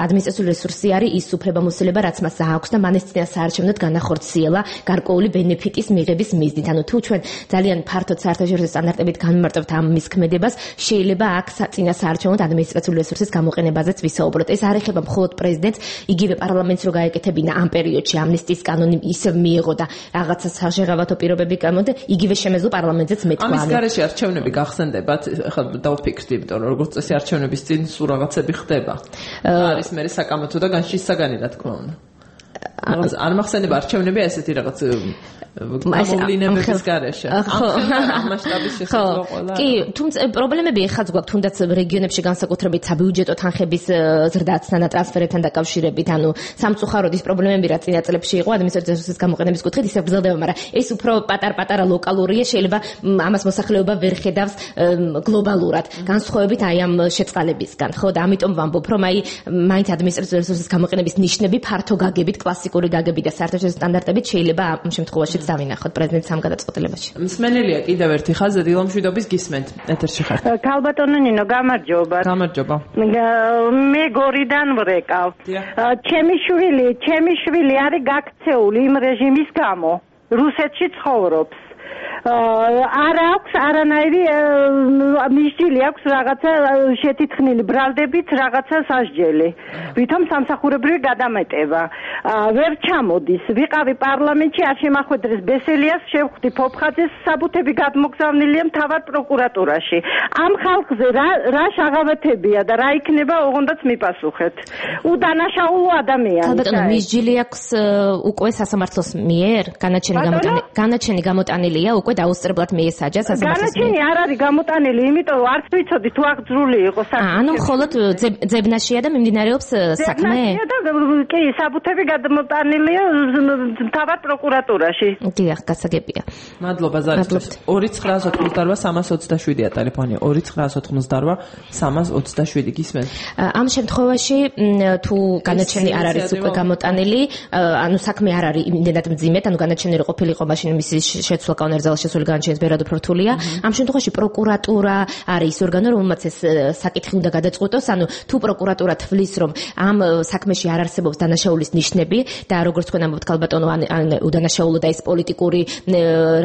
ადმინისტრაციული რესურსი არის ის უფლებამოსილება რაც მას აქვს და მან ეს წინასაარჩევნოდ განახორციელა გარკვეული ბენეფიტის მიღების მიზნით. ანუ თუ ჩვენ ძალიან ფართოდ საერთაშორისო სტანდარტებით განმარტავთ ამ მის ქმედებას, შეიძლება აქ წინასაარჩევნოდ ადმინისტრაციული რესურსის გამოყენებაზეც ვისაუბროთ. ეს არ ეხება მხოლოდ პრეზიდენტს, იგივე პარლამენტს რო გაეკეთებინა ამ პერიოდში ამნისტიის კანონი ისევ მიიღო და რაღაცა საშეღავათო პირობები გამოდა, იგივე შემეძლო პარლამენტზეც მეთქვა. ამის გარეშე არჩევნები გახსენდებათ, ახლა დავფიქრდი, იმიტომ რომ როგორც წესი არჩევნების წინ სულ რაღაცები ხდება. არის მე საკამათო და განშის საგანი რა თქმა უნდა. არ მახსენდება არჩევნები ესეთი რაღაც გამოვლინებების გარეშე. ხო, მასშტაბის შესაძლო ყველა. კი, თუმცა პრობლემები ეხაც გვაქვს თუნდაც რეგიონებში განსაკუთრებით საბიუჯეტო თანხების ზრდასთან და ტრანსფერებთან დაკავშირებით, ანუ სამწუხაროდ ის პრობლემები რა წინა წლებში იყო ადმინისტრაციის რესურსის გამოყენების კუთხით ისე გრძელდება, მაგრამ ეს უფრო პატარ-პატარა ლოკალურია, შეიძლება ამას მოსახლეობა ვერ ხედავს გლობალურად, განსხვავებით აი ამ შეწყალებისგან, ხო და ამიტომ ვამბობ, რომ აი მაინც ადმინისტრაციის რესურსის გამოყენების ნიშნები ფართო გაგებით, კლასიკური გაგებით და საერთაშორისო სტანდარტებით შეიძლება ამ შემთხვევაში დავინახოთ პრეზიდენტის ამ გადაწყვეტილებაში. მსმენელია კიდევ ერთი ხაზი დილომშვიდობის გისმენთ. ეთერში ხართ. ქალბატონო ნინო, გამარჯობა. გამარჯობა. მე გორიდან ვრეკავ. ჩემი შვილი, ჩემი შვილი არის გაქცეული იმ რეჟიმის გამო. რუსეთში ცხოვრობს. არ აქვს არანაირი მისჯილი აქვს რაღაცა შეთითხნილი ბრალდებით რაღაცა სასჯელი. ვითომ სამსახურებრივი გადამეტება. ვერ ჩამოდის. ვიყავი პარლამენტში არ შემახვედრეს ბესელიას, შევხვდი ფოფხაძეს, საბუთები გადმოგზავნილია მთავარ პროკურატურაში. ამ ხალხზე რა რა შაღავათებია და რა იქნება ოღონდაც მიპასუხეთ. უდანაშაულო ადამიანი. ალბათო მისჯილი აქვს უკვე სასამართლოს მიერ განაჩენი გამოტანილი განაჩენი გამოტანილია უკვე დაუსწრებლად მიესაჯა სასამართლოს. განაჩენი არ არის გამოტანილი, იმიტომ რომ არც ვიცოდი თუ აღძრული იყო საქმე. ანუ მხოლოდ ძებნაშია და მიმდინარეობს საქმე? ძებნაშია და კი, საბუთები გადამოტანილია თავად პროკურატურაში. დიახ, გასაგებია. მადლობა ზარისთვის. ორი ცხრაას ოთხმოცდაოთხ სამას ოცდაშვიდია ტელეფონი. ორი ცხრაას ოთხმოცდაოთხ სამას ოცდაშვიდი გისმენთ. ამ შემთხვევაში თუ განაჩენი არ არის უკვე გამოტანილი, ანუ საქმე არ არის იმდენად მძიმედ, ანუ განაჩენილი ყოფილიყო მაშინ მისი შეცვლა კანონერზალ შესული განაჩენის ბერად უფრო რთულია. ამ შემთხვევაში პროკურატურა არის ის ორგანო, რომელმაც ეს საკითხი უნდა გადაწყვეტოს, ანუ თუ პროკურატურა თვლის, რომ ამ საქმეში არ არსებობს დანაშაულის ნიშნები და როგორც თქვენ ამბობთ ქალბატონო, ან უდანაშაულო და ეს პოლიტიკური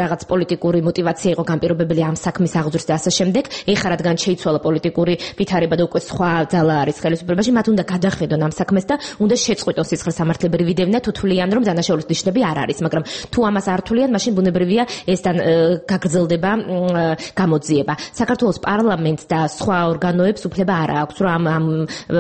რაღაც პოლიტიკური мотиваცია იყო განპირობებელი ამ საქმის აღძვრის და ასე შემდეგ, ეხლა რადგან შეიცვალა პოლიტიკური ვითარება და უკვე სხვა ძალა არის ხელისუფლებაში, მათ უნდა გადახედონ ამ საქმეს და უნდა შეწყვიტონ სისხლისამართლებრივი დევნა, თუ თვლიან, რომ დანაშაულის ნიშნები არ არის, მაგრამ თუ ამას არ თვლიან, მაშინ ბუნებრივია ეს გაგრძელდება გამოძიება. საქართველოს პარლამენტს და სხვა ორგანოებს უფლება არ აქვს, რომ ამ ამ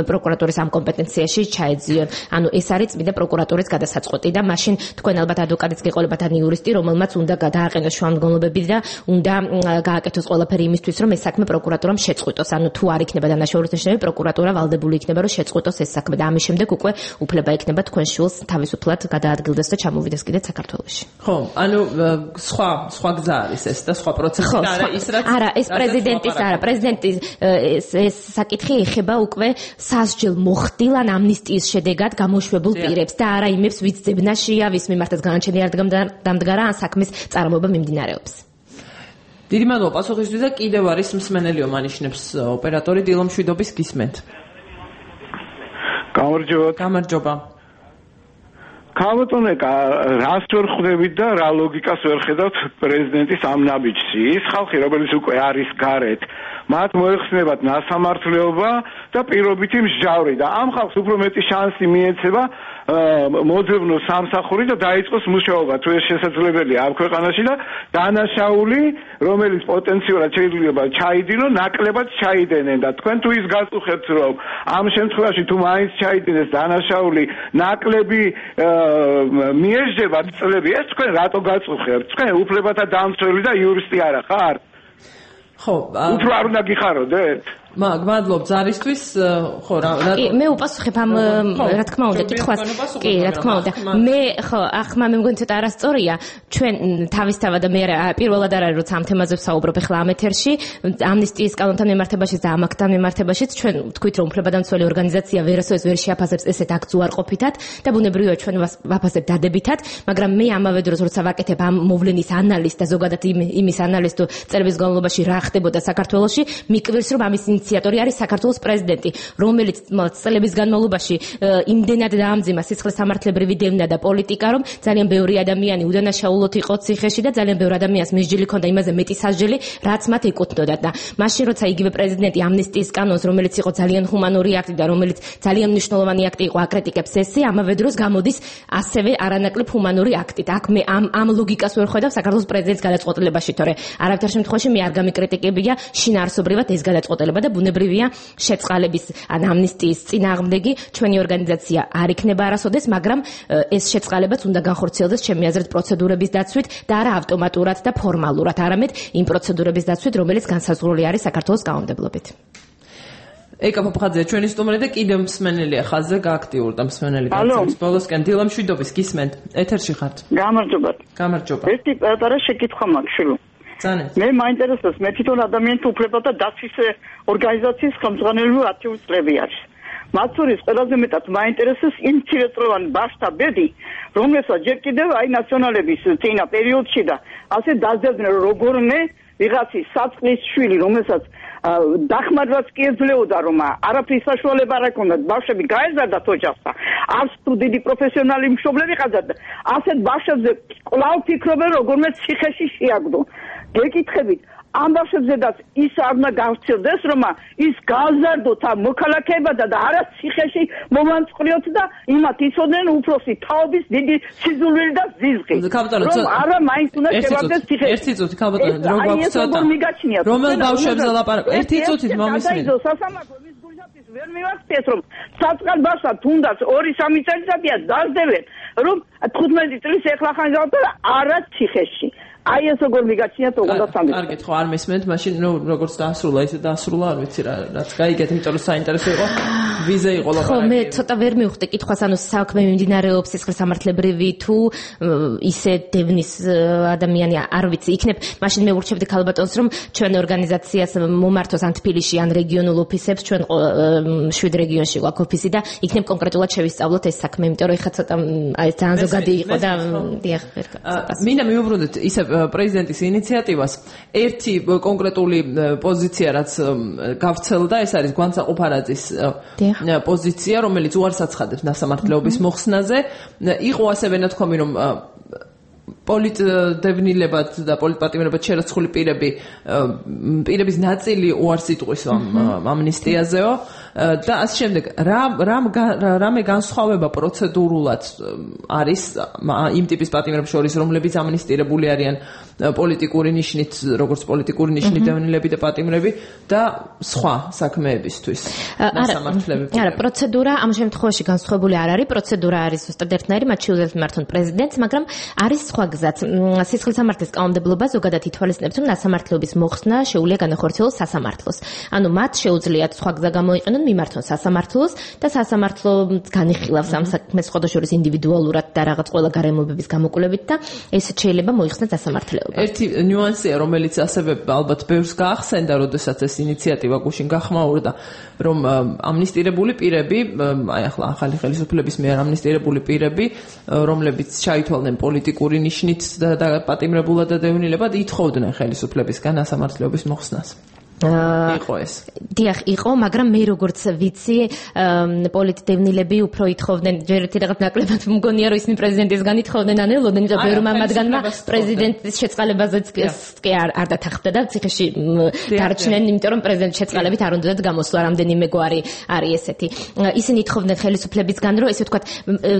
პროკურატურის ამ კომპეტენციაში ჩაეძიონ. ანუ ეს არის წმინდა პროკურატურის გადასაწყვეტი და მაშინ თქვენ ალბათ ადვოკატიც გეყოლებათ ან იურისტი, რომელმაც უნდა გადააყენოს შუამდგომლობები და უნდა გააკეთოს ყველაფერი იმისთვის, რომ ეს საქმე პროკურატურამ შეწყვიტოს. ანუ თუ არ იქნება დანაშაულის ნიშნები, პროკურატურა ვალდებული იქნება, რომ შეწყვიტოს ეს საქმე და ამის შემდეგ უკვე უფლება იქნება თქვენ შულს თავისუფლად გადაადგილდეს და ჩამოვიდეს კიდეც საქართველოში. ხო, ანუ სხვა სხვა გზა არის ეს და სხვა პროცესი და არა ის რაც არა, ეს პრეზიდენტის არა, პრეზიდენტის ეს საკითხი ეხება უკვე სასჯელ მოხდილ ან ამნისტიის შედეგად გამოშვებულ პირებს და არა იმებს, ვიც ძებნაშია, ვის მიმართაც განაჩენი არ დამდგარა ან საქმის წარმოება მიმდინარეობს. დიდი მადლობა პასუხისთვის და კიდევ არის მსმენელიო მანიშნებს ოპერატორი დილო მშვიდობის გისმენთ. გამარჯობა. გამარჯობა. ქალბატონო, რას ვერ ხვდებით და რა ლოგიკას ვერ ხედავთ პრეზიდენტის ამ ნაბიჯში? ის ხალხი, რომელიც უკვე არის გარეთ, მათ მოეხსნებათ ნასამართლეობა და პირობითი მსჯავრი და ამ ხალხს უფრო მეტი შანსი მიეცება მოძებნოს სამსახური და დაიწყოს მუშაობა, თუ ეს შესაძლებელია ამ ქვეყანაში და დანაშაული, რომელიც პოტენციურად შეიძლება ჩაიდინონ, ნაკლებად ჩაიდენენ და თქვენ თუ ის გაწუხებთ, რომ ამ შემთხვევაში თუ მაინც ჩაიდინეს დანაშაული, ნაკლები მიეждებათ წლები, ეს თქვენ რატო გაწუხებთ? თქვენ უფლებათა დამცველი და იურისტი არა ხარ? ხო, უფრო არ უნდა გიხაროდეთ? მაგ მადლობ ზარისთვის, ხო რა კი მე უპასუხებ ამ რა თქმა უნდა კითხვას. კი, რა თქმა უნდა. მე ხო, ახლა მე მგონი ცოტა არასწორია. ჩვენ თავისთავად მე პირველად არ არის როცა ამ თემაზე ვსაუბრობ ახლა ამ ეთერში, ამნისტიის კანონთან მიმართებაშიც და ამ აქტთან მიმართებაშიც ჩვენ ვთქვით რომ უფლებადამცველი ორგანიზაცია ვერასოდეს ვერ შეაფასებს ესეთ აქტს უარყოფითად და ბუნებრივია ჩვენ ვაფასებ დადებითად, მაგრამ მე ამავე დროს როცა ვაკეთებ ამ მოვლენის ანალიზს და ზოგადად იმის ანალიზს თუ წლების განმავლობაში რა ხდებოდა საქართველოში, მიკვირს რომ ამის ინიციატორი არის საქართველოს პრეზიდენტი, რომელიც წლების განმავლობაში იმდენად დაამძიმა სისხლისამართლებრივი დევნა და პოლიტიკა, რომ ძალიან ბევრი ადამიანი უდანაშაულოდ იყო ციხეში და ძალიან ბევრი ადამიანს მისჯილი ჰქონდა იმაზე მეტი სასჯელი, რაც მათ ეკუთვნოდათ და მაშინ როცა იგივე პრეზიდენტი ამნისტიის კანონს, რომელიც იყო ძალიან ჰუმანური აქტი და რომელიც ძალიან მნიშვნელოვანი აქტი იყო, აკრიტიკებს ესე, ამავე დროს გამოდის ასევე არანაკლებ ჰუმანური აქტით. აქ მე ამ ამ ლოგიკას ვერ ხედავ საქართველოს პრეზიდენტის გადაწყვეტილებაში, თორე არავითარ შემთხვევაში მე არ გამიკრიტიკებია შინაარსობრივად ეს გადაწყვეტილება და ბუნებრივია შეწყალების ან ამნისტიის წინააღმდეგი ჩვენი ორგანიზაცია არ იქნება არასოდეს, მაგრამ ეს შეწყალებაც უნდა განხორციელდეს ჩემი აზრით პროცედურების დაცვით და არა ავტომატურად და ფორმალურად, არამედ იმ პროცედურების დაცვით, რომელიც განსაზღვრული არის საქართველოს კანონმდებლობით. ეკა პოპხაძე, ჩვენი სტუმარი და კიდევ მსმენელია ხაზზე გააქტიურდა მსმენელი გაცემის ბოლოსკენ. დილო მშვიდობის გისმენთ. ეთერში ხართ. გამარჯობა. გამარჯობა. ერთი პატარა შეკითხვა მაქვს შვილო. მე მაინტერესებს, მე თვითონ ადამიანთა უფლებათა დაცვის ორგანიზაციის ხელმძღვანელი ათი წლები არის. მათ შორის ყველაზე მეტად მაინტერესებს იმ მცირეწლოვანი ბავშვთა ბედი, რომელსაც ჯერ კიდევ აი ნაციონალების წინა პერიოდში და ასე დაძებდნენ როგორმე ვიღაცის საწყლის შვილი, რომელსაც დახმარებას კი ეძლეოდა, რომ არაფრის საშუალება არ ჰქონდა, ბავშვები გაეზარდათ ოჯახსა, არც თუ დიდი პროფესიონალი მშობლები ყავდათ, ასეთ ბავშვებზე კვლავ ფიქრობენ როგორმე ციხეში შეაგდო. გეკითხებით, ამ ბავშვებზედაც ის არ უნდა გავცილდეს, რომ ის გააზარდოთ ამ მოქალაქეებად და არა ციხეში მომანწყრიოთ და იმათ იცოდნენ უფროსი თაობის დიდი სიზულვილი და ზიზღი. რომ არა მაინც უნდა შევარდეს ციხეში. ერთი წუთი ქალბატონო, დრო გვაქვს ცოტა. რომელ ბავშვებზე ლაპარაკობთ? ერთი წუთით მომისმენთ. სასამართლო მის გულშაბათს ვერ მივახციეთ, რომ საწყალ ბავშვს თუნდაც ორი სამი წელიწადია დაძდევენ, რომ თხუთმეტი წლის ეხლა ხან გავდა არა ციხეში. აი ეს როგორ მიგაჩნიათ ოღონდ სამი. კარგი, ხო, არ მესმენთ, მაშინ ნუ როგორც დაასრულა, ისე დაასრულა, არ ვიცი რა, რაც გაიგეთ, იმიტომ რომ საინტერესო იყო ვიზა იყო ლაპარაკი. ხო, მე ცოტა ვერ მივხვდი კითხვას, ანუ საქმე მიმდინარეობს სისხლისამართლებრივი თუ ისე დევნის ადამიანი არ ვიცი, იქნებ მაშინ მე ვურჩევდი ქალბატონს რომ ჩვენ ორგანიზაციას მომართოს ან თბილისში ან რეგიონულ ოფისებს, ჩვენ შვიდ რეგიონში გვაქვს ოფისი და იქნებ კონკრეტულად შევისწავლოთ ეს საქმე, იმიტომ რომ ეხლა ცოტა აი ძალიან ზოგადი იყო და დიახ, ვერ გასწავლ. მინდა მივუბრუნდეთ ისე პრეზიდენტის ინიციატივას ერთი კონკრეტული პოზიცია რაც გავრცელდა, ეს არის გვანცა ყუფარაძის პოზიცია, რომელიც უარს აცხადებს ნასამართლეობის მოხსნაზე. იყო ასევე ნათქვამი, რომ პოლიტდევნილებად და პოლიტპატიმრებად შერაცხული პირები პირების ნაწილი უარს იტყვის ამ ამნისტიაზეო და ასე შემდეგ. რა რამე განსხვავება პროცედურულად არის იმ ტიპის პატიმრებს შორის, რომლებიც ამნისტირებული არიან პოლიტიკური ნიშნით, როგორც პოლიტიკური ნიშნით დევნილები და პატიმრები და სხვა საქმეებისთვის ნასამართლები. არა, პროცედურა ამ შემთხვევაში განსხვავებული არ არის, პროცედურა არის ზუსტად ერთნაირი, მათ შეუძლიათ მართონ პრეზიდენტს, მაგრამ არის სხვა გზაც. სისხლისამართლის კანონმდებლობა ზოგადად ითვალისწინებს, რომ ნასამართლეობის მოხსნა შეუძლია განახორციელოს სასამართლოს. ანუ მათ შეუძლიათ სხვა გზა გამოიყენონ, მიმართონ სასამართლოს და სასამართლო განიხილავს ამ საქმეს სხვადასხვა ინდივიდუალურად და რაღაც ყველა გარემოებების გამოკვლევით და ესეც შეიძლება მოიხსნას სასამართლეობა. ერთი ნიუანსია, რომელიც ასევე ალბათ ბევრს გაახსენდა, როდესაც ეს ინიციატივა გუშინ გახმაურდა, რომ ამნისტირებული პირები, აი ახლა ახალი ხელისუფლების მიერ ამნისტირებული პირები, რომლებიც ჩაითვალნენ პოლიტიკური ნიშნით და პატიმრებულად და დევნილებად, ითხოვდნენ ხელისუფლებისგან სასამართლეობის მოხსნას. იყო ეს. დიახ, იყო, მაგრამ მე როგორც ვიცი, პოლიტდევნილები უფრო ითხოვდნენ, ჯერ ერთი რაღაც ნაკლებად მგონია, რომ ისინი პრეზიდენტისგან ითხოვდნენ, ან ელოდნენ, იმიტომ ბევრმა მათგანმა პრეზიდენტის შეწყალებაზეც კი არ დათანხმდა და ციხეში დარჩნენ, იმიტომ რომ პრეზიდენტის შეწყალებით არ უნდათ გამოსვლა, რამდენიმე გვარი არის ესეთი. ისინი ითხოვდნენ ხელისუფლებისგან, რომ ესე ვთქვათ,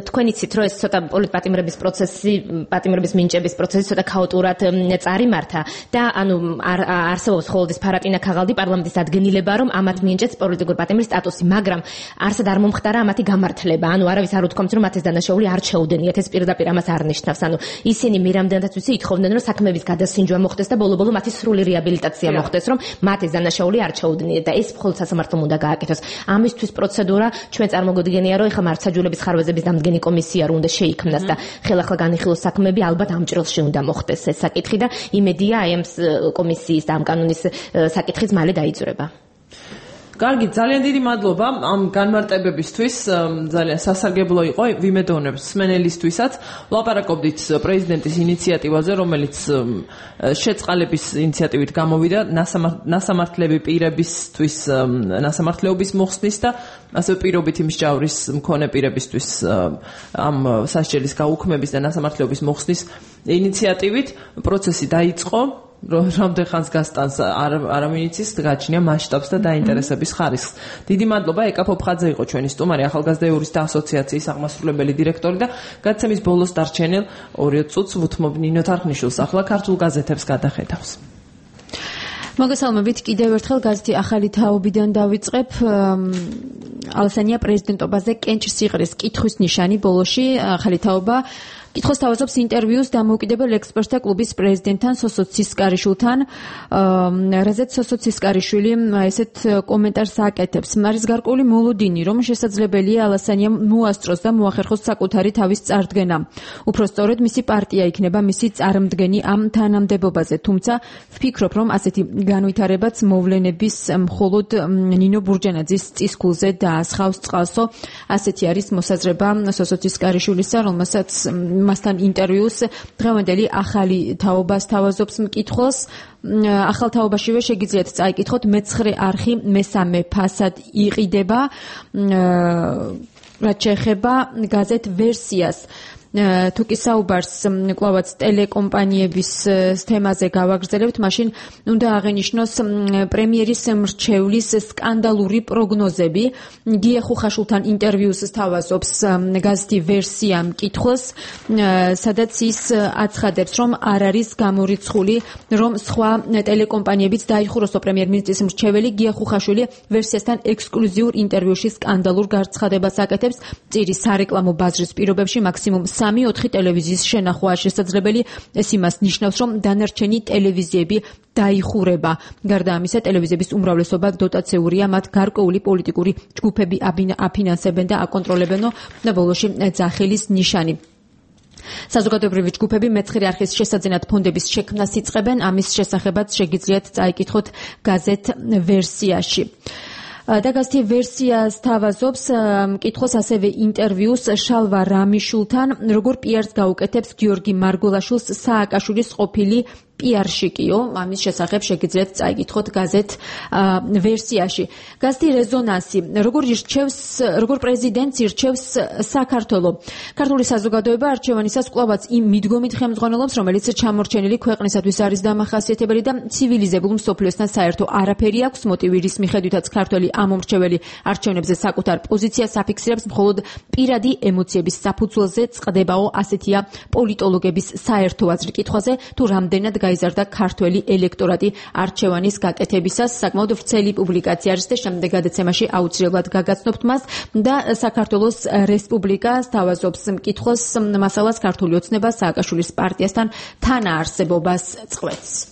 თქვენ იცით, რომ ეს ცოტა პოლიტპატიმრების პროცესი, პატიმრების მინიჭების პროცესი ცოტა ქაოტურად წარიმართა და ანუ არსებობს ხოლმე ფარატინა ქაღალდი პარლამენტის დადგენილება, რომ ამათ მიენჭეს პოლიტიკური პატიმრის სტატუსი, მაგრამ არსად არ მომხდარა ამათი გამართლება. ანუ არავის არ უთქვამთ, რომ მათ ეს დანაშაული არ შეუდენიათ, ეს პირდაპირ ამას არ ნიშნავს. ანუ ისინი მე რამდენადაც ვიცი, ითხოვდნენ, რომ საქმეების გადასინჯვა მოხდეს და ბოლო-ბოლო მათი სრული რეაბილიტაცია მოხდეს, რომ მათ ეს დანაშაული არ შეუდენიათ და ეს მხოლოდ სასამართლომ უნდა გააკეთოს. ამისთვის პროცედურა ჩვენ წარმოგიდგენია, რომ ეხლა მართლმსაჯულების ხარვეზების დამდგენი კომისია რო უნდა შეიქმნას და ხელახლა განიხილოს საქმეები, ალბათ ამ ჭრილში უნდა მოხდეს ეს საკითხი და იმედია აი ამ კომისიის და ამ კანონის საკითხი ხიც მალე დაიძრება. კარგი, ძალიან დიდი მადლობა ამ განმარტებებისთვის, ძალიან სასარგებლო იყო ვიმედოვნებს სმენელისთვისაც. ვლაპარაკობდით პრეზიდენტის ინიციატივაზე, რომელიც შეწყალების ინიციატივით გამოვიდა ნასამართლები პირებისთვის ნასამართლეობის მოხსნის და ასევე პირობითი მსჯავრის მქონე პირებისთვის ამ სასჯელის გაუქმების და ნასამართლეობის მოხსნის ინიციატივით. პროცესი დაიწყო. რამდენ ხანს გასტანს არავინ იცის, გაჩნია მასშტაბს და დაინტერესების ხარისხს. დიდი მადლობა, ეკა ფოფხაძე იყო ჩვენი სტუმარი, ახალგაზრდა იურისტთა ასოციაციის აღმასრულებელი დირექტორი და გადაცემის ბოლოს დარჩენილ ორი წუთს ვუთმობ ნინო თარხნიშვილს, ახლა ქართულ გაზეთებს გადახედავს. მოგესალმებით, კიდევ ერთხელ გაზეთი ახალი თაობიდან დავიწყებ. ალსანია პრეზიდენტობაზე კენჭ სიღრის კითხვის ნიშანი ბოლოში ახალი თაობა კითხოს თავაზობს ინტერვიუს დამოუკიდებელ ექსპერტთა კლუბის პრეზიდენტთან სოსო ცისკარიშვილთან, რაზეც სოსო ცისკარიშვილი ესეთ კომენტარს აკეთებს. არის გარკვეული მოლოდინი, რომ შესაძლებელია ალასანიამ მოასწროს და მოახერხოს საკუთარი თავის წარდგენა. უფრო სწორედ მისი პარტია იქნება მისი წარმდგენი ამ თანამდებობაზე, თუმცა ვფიქრობ, რომ ასეთი განვითარებაც მოვლენების მხოლოდ ნინო ბურჯანაძის წისქულზე დაასხავს წყალსო. ასეთი არის მოსაზრება სოსო ცისკარიშვილისა, რომელსაც მასთან ინტერვიუს დღევანდელი ახალი თაობას თავაზობს მკითხველს. ახალ თაობაშივე შეგიძლიათ წაიკითხოთ მეცხრე არხი მესამე ფასად იყიდება, რაც შეეხება გაზეთ ვერსიას. თუ კი საუბარს კვლავაც ტელეკომპანიების თემაზე გავაგრძელებთ, მაშინ უნდა აღენიშნოს პრემიერის მრჩევლის სკანდალური პროგნოზები. გია ხუხაშვილთან ინტერვიუს თავაზობს გაზეთი ვერსია მკითხველს, სადაც ის აცხადებს, რომ არ არის გამორიცხული, რომ სხვა ტელეკომპანიებიც დაიხუროს პრემიერ-მინისტრის მრჩეველი. გია ხუხაშვილი ვერსიასთან ექსკლუზიურ ინტერვიუში სკანდალურ გარცხადებას აკეთებს. წირის სარეკლამო ბაზრის პირობებში მაქსიმუმ სამი ოთხი ტელევიზიის შენახვაა შესაძლებელი. ეს იმას ნიშნავს, რომ დანარჩენი ტელევიზიები დაიხურება. გარდა ამისა, ტელევიზიების უმრავლესობა დოტაციურია, მათ გარკვეული პოლიტიკური ჯგუფები აფინანსებენ და აკონტროლებენ და ბოლოში ძახილის ნიშანი. საზოგადოებრივი ჯგუფები მეცხრე არხის შესაძენად ფონდების შექმნას იწყებენ. ამის შესახებაც შეგიძლიათ წაიკითხოთ გაზეთ ვერსიაში. და გაზეთი ვერსიას თავაზობს მკითხოს ასევე ინტერვიუს შალვა რამიშულთან, როგორ პიარს გაუკეთებს გიორგი მარგოლაშვილს სააკაშვილის ყოფილი პიარშიკიო. ამის შესახებ შეგიძლიათ წაიკითხოთ გაზეთ ვერსიაში. გაზეთი რეზონანსი, როგორ ირჩევს, როგორ პრეზიდენტს ირჩევს საქართველო. ქართული საზოგადოება არჩევანისას კვლავაც იმ მიდგომით ხელმძღვანელობს, რომელიც ჩამორჩენილი ქვეყნისათვის არის დამახასიათებელი და ცივილიზებულ მსოფლიოსთან საერთო არაფერი აქვს. მოტივი, რის მიხედვითაც ქართველი ამომრჩეველი არჩევნებზე საკუთარ პოზიციას აფიქსირებს, მხოლოდ პირადი ემოციების საფუძველზე წყდებაო, ასეთია პოლიტოლოგების საერთო აზრი კითხვაზე, თუ რამდენად გაიზარდა ქართველი ელექტორატი არჩევანის გაკეთებისას. საკმაოდ ვრცელი პუბლიკაცია არის და შემდეგ გადაცემაში აუცილებლად გაგაცნობთ მას. და საქართველოს რესპუბლიკას თავაზობს მკითხოს მასალას ქართული ოცნება სააკაშვილის პარტიასთან თანაარსებობას წყვეტს.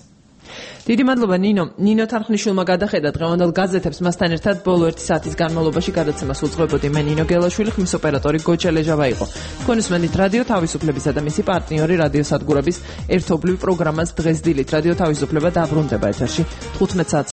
დიდი მადლობა ნინო. ნინო თარხნიშვილმა გადახედა დღევანდელ გაზეთებს, მასთან ერთად ბოლო ერთი საათის განმავლობაში გადაცემას უძღვებოდი მე ნინო გელაშვილი, ხმის ოპერატორი გოჩა ლეჟავა იყო. თქვენ უსმენთ რადიო თავისუფლებისა და მისი პარტნიორი რადიო სადგურების ერთობლივ პროგრამას დღეს დილით. რადიო თავისუფლება დაბრუნდება ეთერში თხუთმეტ საათს